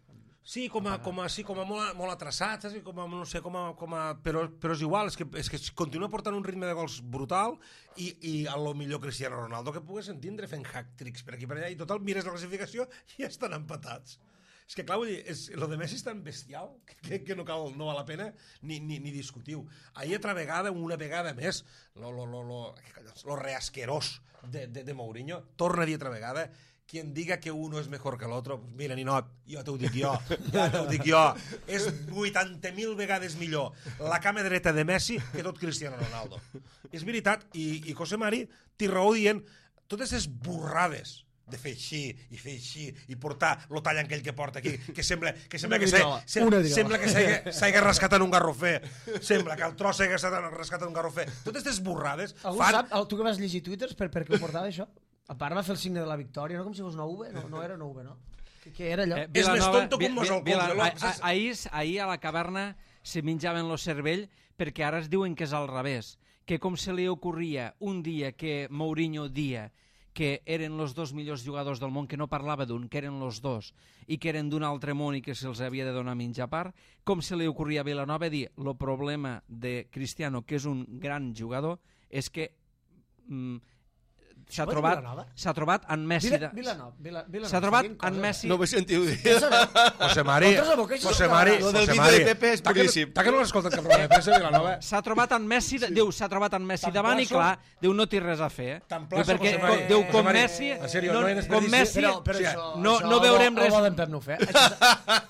Sí, com a, com a, sí, com a molt, molt atraçat, saps? Com a, no sé, com a, com a, però, però és igual, és que, és que continua portant un ritme de gols brutal i, i a lo millor Cristiano Ronaldo que pogués entendre fent hack-tricks per aquí per allà i total, mires la classificació i ja estan empatats. És que clar, vull dir, és, lo de Messi és tan bestial que, que no, cal, no val la pena ni, ni, ni discutiu. Ahir altra vegada, una vegada més, lo, lo, lo, lo, lo reasquerós de, de, de Mourinho, torna a dir altra vegada quien diga que uno es mejor que l'altre, pues mira, ninot, jo t'ho dic jo, ja t'ho dic jo, és vuitanta mil vegades millor la cama dreta de Messi que tot Cristiano Ronaldo. És veritat, i, i José Mari té raó dient totes les borrades de fer així i fer així i portar lo tallant aquell que porta aquí que sembla que sembla que sembla que s'hagi rascat en un garrofer, sembla que el tros s'hagi rascat en un garrofer. Totes aquestes borrades algú fan... sap, tu que vas llegir twitters per, per què ho portava això? A part va fer el signe de la victòria, no com si fos una V, no, no era una V, no? Què, què era allò? Eh, és més tonto que un mos al cul. Ahir, ahir a la caverna se menjaven lo cervell perquè ara es diuen que és al revés, que com se li ocorria un dia que Mourinho dia que eren els dos millors jugadors del món, que no parlava d'un, que eren els dos, i que eren d'un altre món i que se'ls havia de donar menjar a part, com se li ocorria a Vilanova dir el problema de Cristiano, que és un gran jugador, és que mm, s'ha trobat, s'ha trobat en Messi... Vila, Vilanova, Vila, Vilanova. S'ha trobat en Messi... No m'he sentit dir. José Mari, José Mari... Lo del vídeo de Pepe és puríssim. Ta que no l'has escoltat cap programa de premsa, Vilanova? S'ha trobat en Messi, diu, s'ha trobat en Messi davant i clar, diu, no té res a fer. Perquè, diu, com Messi... Com Messi... No veurem res...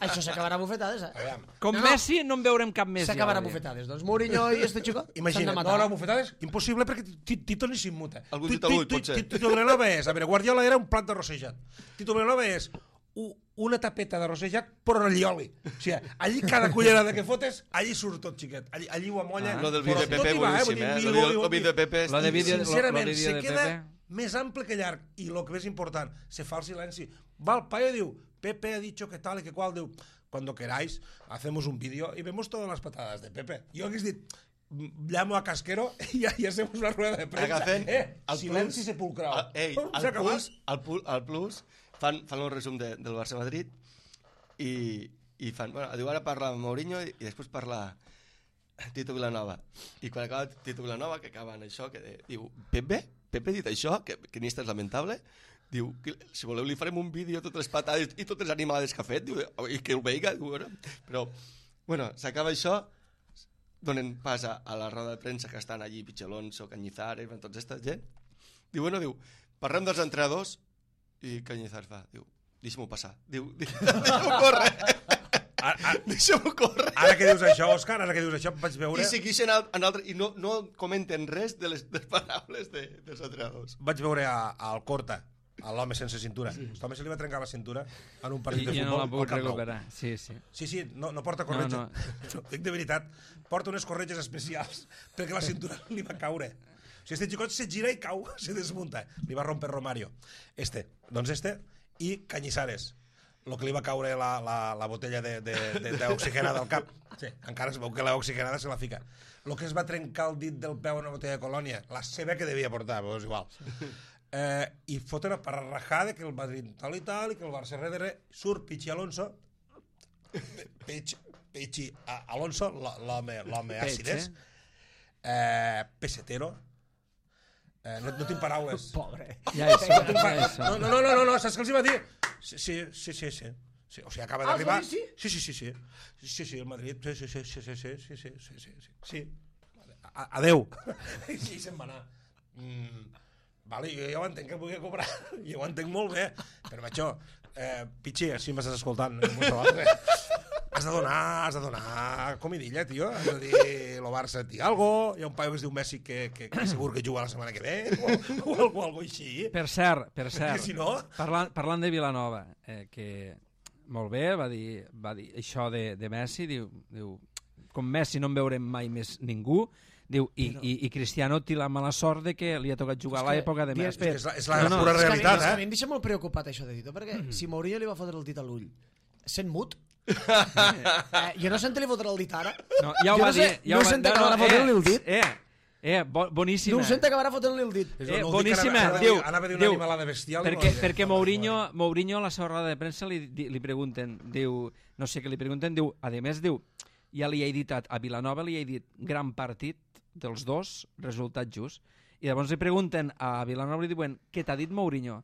Això s'acabarà a bufetades, eh? Com Messi no en veurem cap més. S'acabarà a bufetades, doncs Mourinho i este xico imagina't, no, no, bufetades, impossible perquè Tito ni s'immuta. Algun dit al buit, potser. Tito Vilanova és, a veure, Guardiola era un plat de rossejat. Tito Vilanova és una tapeta de rossejat però en oli. O sigui, allí cada cullerada que fotes, allí surt tot, xiquet. Allí, allí ho amolla. Lo del vídeo de Pepe boníssim, eh? Lo vídeo de Pepe... Sincerament, se queda més ample que llarg. I el que més important, se fa el silenci. Va el paio i diu, Pepe ha dicho que tal i que qual, diu, cuando queráis, hacemos un vídeo y vemos todas las patadas de Pepe. Jo hagués dit, llamo a Casquero i ja hacemos una rueda de prensa. Agafen eh, silenci plus, sepulcral. Ei, al plus, al, plus, al plus fan, fan un resum de, del Barça-Madrid i, i fan... Bueno, diu, ara parla Mourinho i, i després parla Tito Vilanova. I quan acaba Tito Vilanova, que acaba en això, que de, diu, Pepe? Pepe ha dit això? Que, que ni és lamentable? Diu, que, si voleu li farem un vídeo totes les patades i totes les animalades que ha fet, diu, i que el veiga, diu, bueno. Però, bueno, s'acaba això, donen pas a, a la roda de premsa que estan allí, Pichelonso, Cañizares, tota aquesta gent. Diu, bueno, diu, parlem dels entrenadors i Cañizares fa, diu, deixa'm-ho passar. Diu, deixa'm-ho córrer. Deixa'm-ho córrer. Ara que dius això, Òscar, ara que dius això, vaig veure... I segueixen en altre... I no, no comenten res de les, de les paraules de, dels entrenadors. Vaig veure a, a Alcorta, a l'home sense cintura. Sí. L'home se li va trencar la cintura en un partit I, de futbol. I no la puc recuperar. Sí, sí. Sí, sí, no, no porta corretja. No, no. no, dic de veritat, porta unes corretges especials perquè la cintura li va caure. O sigui, este xicot se gira i cau, se desmunta. Li va romper Romario. Este, doncs este, i Cañizares. Lo que li va caure la, la, la botella d'oxigenada al cap. Sí, encara es veu que l'oxigenada se la fica. Lo que es va trencar el dit del peu en una botella de colònia, la seva que devia portar, però és igual. Eh, i foten a parrajada que el Madrid tal i tal i que el Barça darrere surt Pichi Alonso Pichi, Pichi Alonso l'home àcides eh, pesetero eh, no, no tinc paraules pobre ja és, no, tinc ja és. no, no, no, no, no, saps què els hi va dir? Sí, sí, sí, sí, sí. Sí, o sigui, acaba d'arribar... Sí, sí, sí, sí, sí, sí, sí, el Madrid, sí, sí, sí, sí, sí, sí, sí, sí, sí, sí. a, adeu. I se'n va anar. Mm, vale, jo ja ho entenc que vulgui cobrar, jo ho entenc molt bé, però macho, eh, Pichi, si m'estàs escoltant, has de donar, has de donar comidilla, tio, has de dir, lo Barça et diu algo, hi ha un paio que es diu Messi que, que, que segur que juga la setmana que ve, o, o algo, algo així. Per cert, per cert, si no... parlant, parlant de Vilanova, eh, que molt bé, va dir, va dir això de, de Messi, diu, diu, com Messi no en veurem mai més ningú, diu, i, Però... i, i Cristiano té la mala sort de que li ha tocat jugar a l'època de Messi. És la, és la no, no, pura realitat, és que a mi, eh? És que a mi em deixa molt preocupat això de Tito, perquè mm -hmm. si Mourinho li va fotre el dit a l'ull, sent mut, eh, jo no sé on li fotrà el dit ara. No, ja ho jo va no sé, dir. Ja no ho sé va... on acabarà no, fotent-li el dit. Eh, eh, bo, boníssima. No sé on acabarà fotent-li el dit. Eh, boníssima. Diu, anava a dir una diu, animalada bestial. perquè, perquè Mourinho, Mourinho a la seva roda de premsa li, li pregunten, diu, no sé què li pregunten, diu, a més, diu, ja li he dit a, a Vilanova, li he dit gran partit dels dos, resultat just. I llavors li pregunten a Vilanova i diuen, què t'ha dit Mourinho?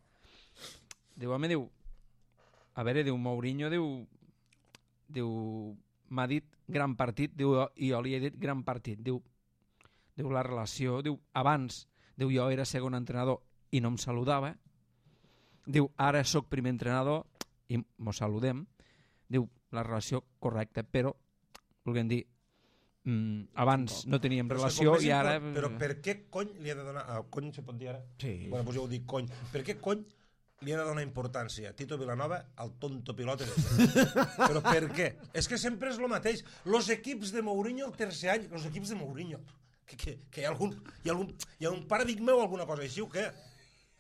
Diu, home, diu, a veure, diu, Mourinho, diu, diu, m'ha dit gran partit, diu, i jo li he dit gran partit, diu, diu, la relació, diu, abans, diu, jo era segon entrenador i no em saludava, diu, ara sóc primer entrenador i mos saludem, diu, la relació correcta, però, volguem dir, mm, abans no teníem però relació i ara... Però per què cony li ha de donar... Ah, cony se pot dir ara? Sí. Bueno, doncs jo ho dic cony. Per què cony li ha de donar importància Tito Vilanova al tonto pilot este? Però per què? És que sempre és el mateix. Los equips de Mourinho el tercer any, los equips de Mourinho, que, que, que hi ha algun, hi ha algun, hi ha un paradigma o alguna cosa així o què?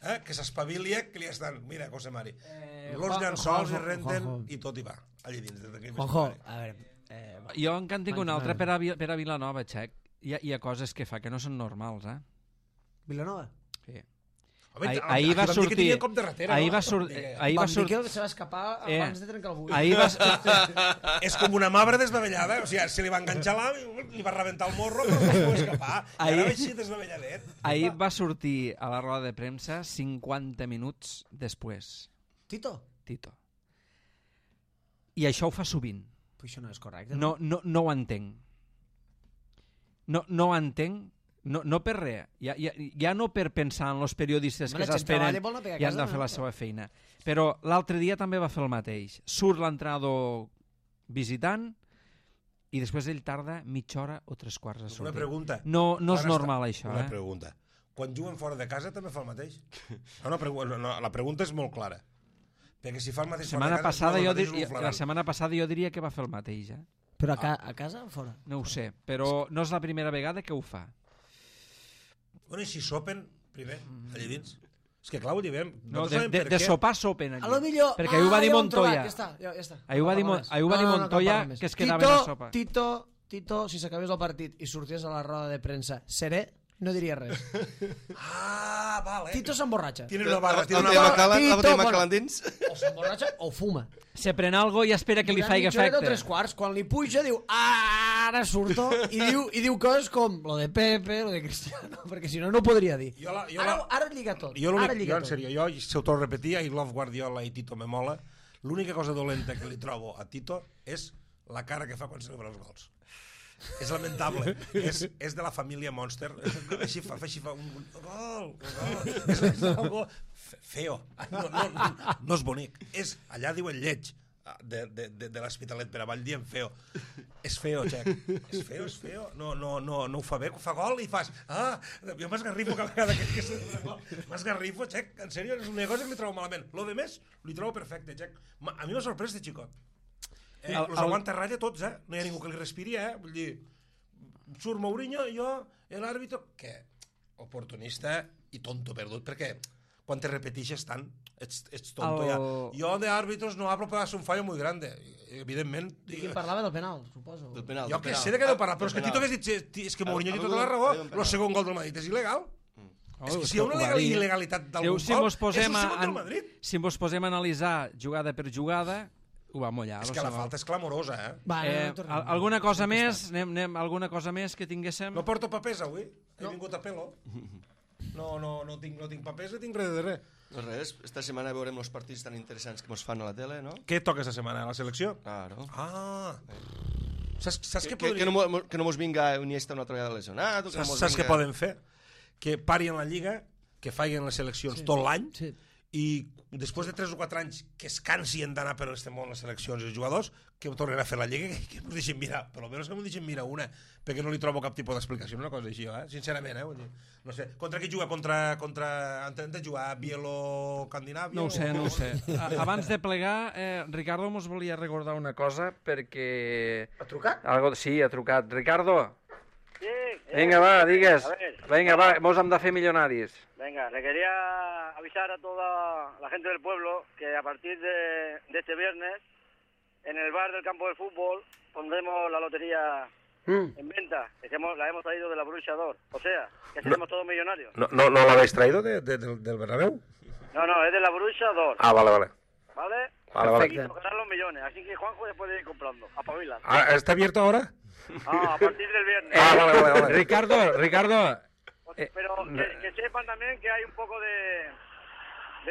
Eh? Que s'espavilia, que li estan... Mira, José Mari, eh, los llençols i renten Juanjo. i tot hi va, allà dins. Juanjo, a veure... Eh, jo encara en tinc un altre per a, per a Vilanova, Xec. Hi ha, hi ha coses que fa que no són normals, eh? Vilanova? Sí. Home, ahir, ahir va sortir... que tenia cop de ratera, ahir no? va, sur, ahir va Van dir sortir... que se va escapar Eh, abans de trencar el buit. Ahir va... És com una mabra desbavellada, o sigui, se li va enganxar l'am, li va rebentar el morro, però no es pot escapar. I Ahir- ara va així desbavelladet. Ahir va sortir a la roda de premsa cinquanta minuts després, Tito? Tito. I això ho fa sovint. Però això no és correcte. No, no, no ho entenc. No, no ho entenc. No, no per res. Ja, ja, ja no per pensar en els periodistes Home, que la gent s'esperen treballa i vol anar a pegar a i han casa, de fer no? la seva feina. Però l'altre dia també va fer el mateix. Surt l'entrenador visitant i després ell tarda mitja hora o tres quarts a Una sortir. pregunta. No, no és Quan normal està- això, Una eh? pregunta. Quan juguen fora de casa també fa el mateix? No, no, pregu- no, no, la pregunta és molt clara. Perquè si fa el mateix Setmana fora de casa... passada no, el jo mateix dir, és un la flagrant. setmana passada jo diria que va fer el mateix, eh? Però a, ca a casa o fora? No ho sé, però no és la primera vegada que ho fa. Bueno, i si sopen, primer, allà dins? És que clar, ho diem. No, Nosaltres de, sabem de, per de què. sopar sopen allí. A lo millor... Perquè ahir ho va dir ja ho hem trobat, Montoya. Ja està, ja, ja està. Ahir ho va dir, No Mon- parla més. ahir ho va dir No, no, no, Montoya cal parlar més. que es quedaven Tito, a sopa. Tito, Tito, si s'acabés el partit i sorties a la roda de premsa serè, no diria res. Ah, vale. Tito s'emborratxa. Tiene una barra, tiene La una botella barra. Macallan, la Tito, botella bueno. Macallan dins. O s'emborratxa o fuma. Se pren algo i espera que li Durant faci mitja horeta o efecte. tres quarts, quan li puja diu ara surto i diu, i diu coses com lo de Pepe, lo de Cristiano, perquè si no no ho podria dir. Jo la- jo Ara, la- ara lliga tot. Jo, Ara l'únic, lliga jo en tot. sèrio, jo, si ho torno a repetir, I love Guardiola i Tito me mola, l'única cosa dolenta que li trobo a Tito és la cara que fa quan celebra els gols. És lamentable. és, és de la família Monster. Així fa, així fa un, un gol, un gol. És, és algo fe- feo. No, no, no, no és bonic. És, allà diuen lleig de, de, de, de l'Hospitalet per avall dient feo. És feo, Xec. És feo, és feo. No, no, no, no ho fa bé, fa gol i fas... Ah, jo m'esgarrifo cada vegada que, que se gol. M'esgarrifo, Xec. En sèrio, és una cosa que li trobo malament. Lo de més, li trobo perfecte, Xec. Ma- A mi m'ha sorprès de xicot. Eh, El- els el- aguanta ratlla tots, eh? No hi ha ningú que li respiri, eh? Vull dir, surt Mourinho, jo, l'àrbitro... Què? Oportunista i tonto perdut, perquè quan te repetixes tant, ets, ets tonto El- ja. Jo de àrbitros no hablo, pero hace un fallo muy grande. Evidentment... I qui parlava del penal, suposo. Del penal. Jo del que penal. sé de què deu parlar, però Del és que penal. Tito hagués dit, "Sí, és que Mourinho té Algú- tota la raó, algú- algú- el segon gol del Madrid és il·legal. Oh, És que és si hi ha que una ho va legal- dir. il·legalitat Diu, d'algun si gol, mos posem és el a, segon del an- Madrid. si mos posem a analitzar jugada per jugada, ho va mullar. És lo que la segon. falta és clamorosa, eh? Va, no, Eh, no, tornem. al- alguna cosa més? Anem, anem, alguna cosa més que tinguéssim? No porto papers avui, he vingut a pelo. No, no, no tinc, no tinc papers, no tinc res de res. No res, esta setmana veurem els partits tan interessants que ens fan a la tele, no? Què toca esta setmana? La selecció? Claro. Ah, Saps, saps Que, què que, que, podria... no, mo- que no mos vinga Iniesta una altra vegada lesionat. O que no Saps, mos saps què vinga... poden fer? Que parin la Lliga, que facin les seleccions tot l'any, Sí. i després de tres o quatre anys que es cansien d'anar per este món les seleccions i els jugadors, que tornen a fer la Lliga, que, que m'ho deixin mirar, per almenys que m'ho deixin mirar una, perquè no li trobo cap tipus d'explicació, una cosa així, eh? Sincerament, eh? Vull dir, no sé, contra qui juga? Contra, contra... Antes de jugar Bielo-Candinàvia? No ho sé, o... no ho sé. A- Abans de plegar, eh, Ricardo mos volia recordar una cosa, perquè... Ha trucat? Algo... Sí, ha trucat. Ricardo, Sí. eh, venga, va, digues. A ver. Venga, va, mos hem de fer millonaris. Venga, le quería avisar a toda la gente del pueblo que a partir de, de este viernes, en el bar del campo del fútbol, pondremos la lotería en venta, que hemos- la hemos traído de la Bruixador. O sea, que seremos todos millonarios. No, no, no l'habéis traído de, de, del, del Bernabéu? No, no, es de la Bruixador, Ah, vale, vale. ¿vale? Vale, vale. Y tocarán los millones, así que Juanjo después de ir comprando, a Pavila. Ah, ¿está abierto ahora? Ah, a partir del viernes. Ah, vale, vale, vale. Ricardo, Ricardo, eh, Pero que, que sepan también que hay un poco de,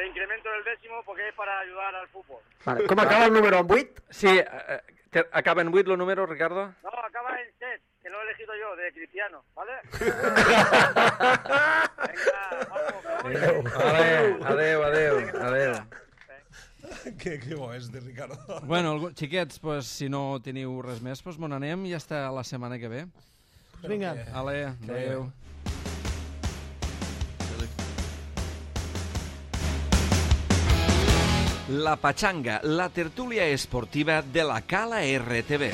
de incremento del décimo porque es para ayudar al fútbol. Vale. Com acaba el número amb vuit? sí, eh, te- acaba en vuit el número, Ricardo? No, acaba en set, que lo he elegido yo, de Cristiano, ¿vale? Venga, vamos. Adeu, adeu, adeu, adeu. que, que bo és de Ricardo. Bueno, algú- xiquets, pues, si no teniu res més, pues, me n'anem i hasta la setmana que ve. Vinga. Ale, adeu. La Pachanga, la tertúlia esportiva de la Cala R T V.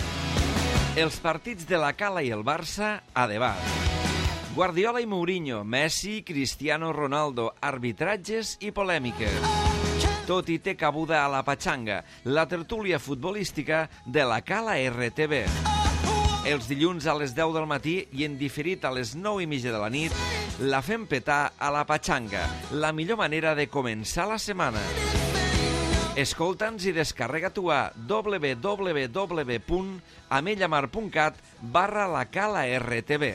Els partits de la Cala i el Barça a debat. Guardiola i Mourinho, Messi, Cristiano Ronaldo, arbitratges i polèmiques. Tot hi té cabuda a la Pachanga, la tertúlia futbolística de la Cala R T V. Els dilluns a les deu del matí i en diferit a les nou i mitja de la nit, la fem petar a la Pachanga, la millor manera de començar la setmana. Escolta'ns i descarrega tu a www punt amellamar punt cat barra la Cala R T V.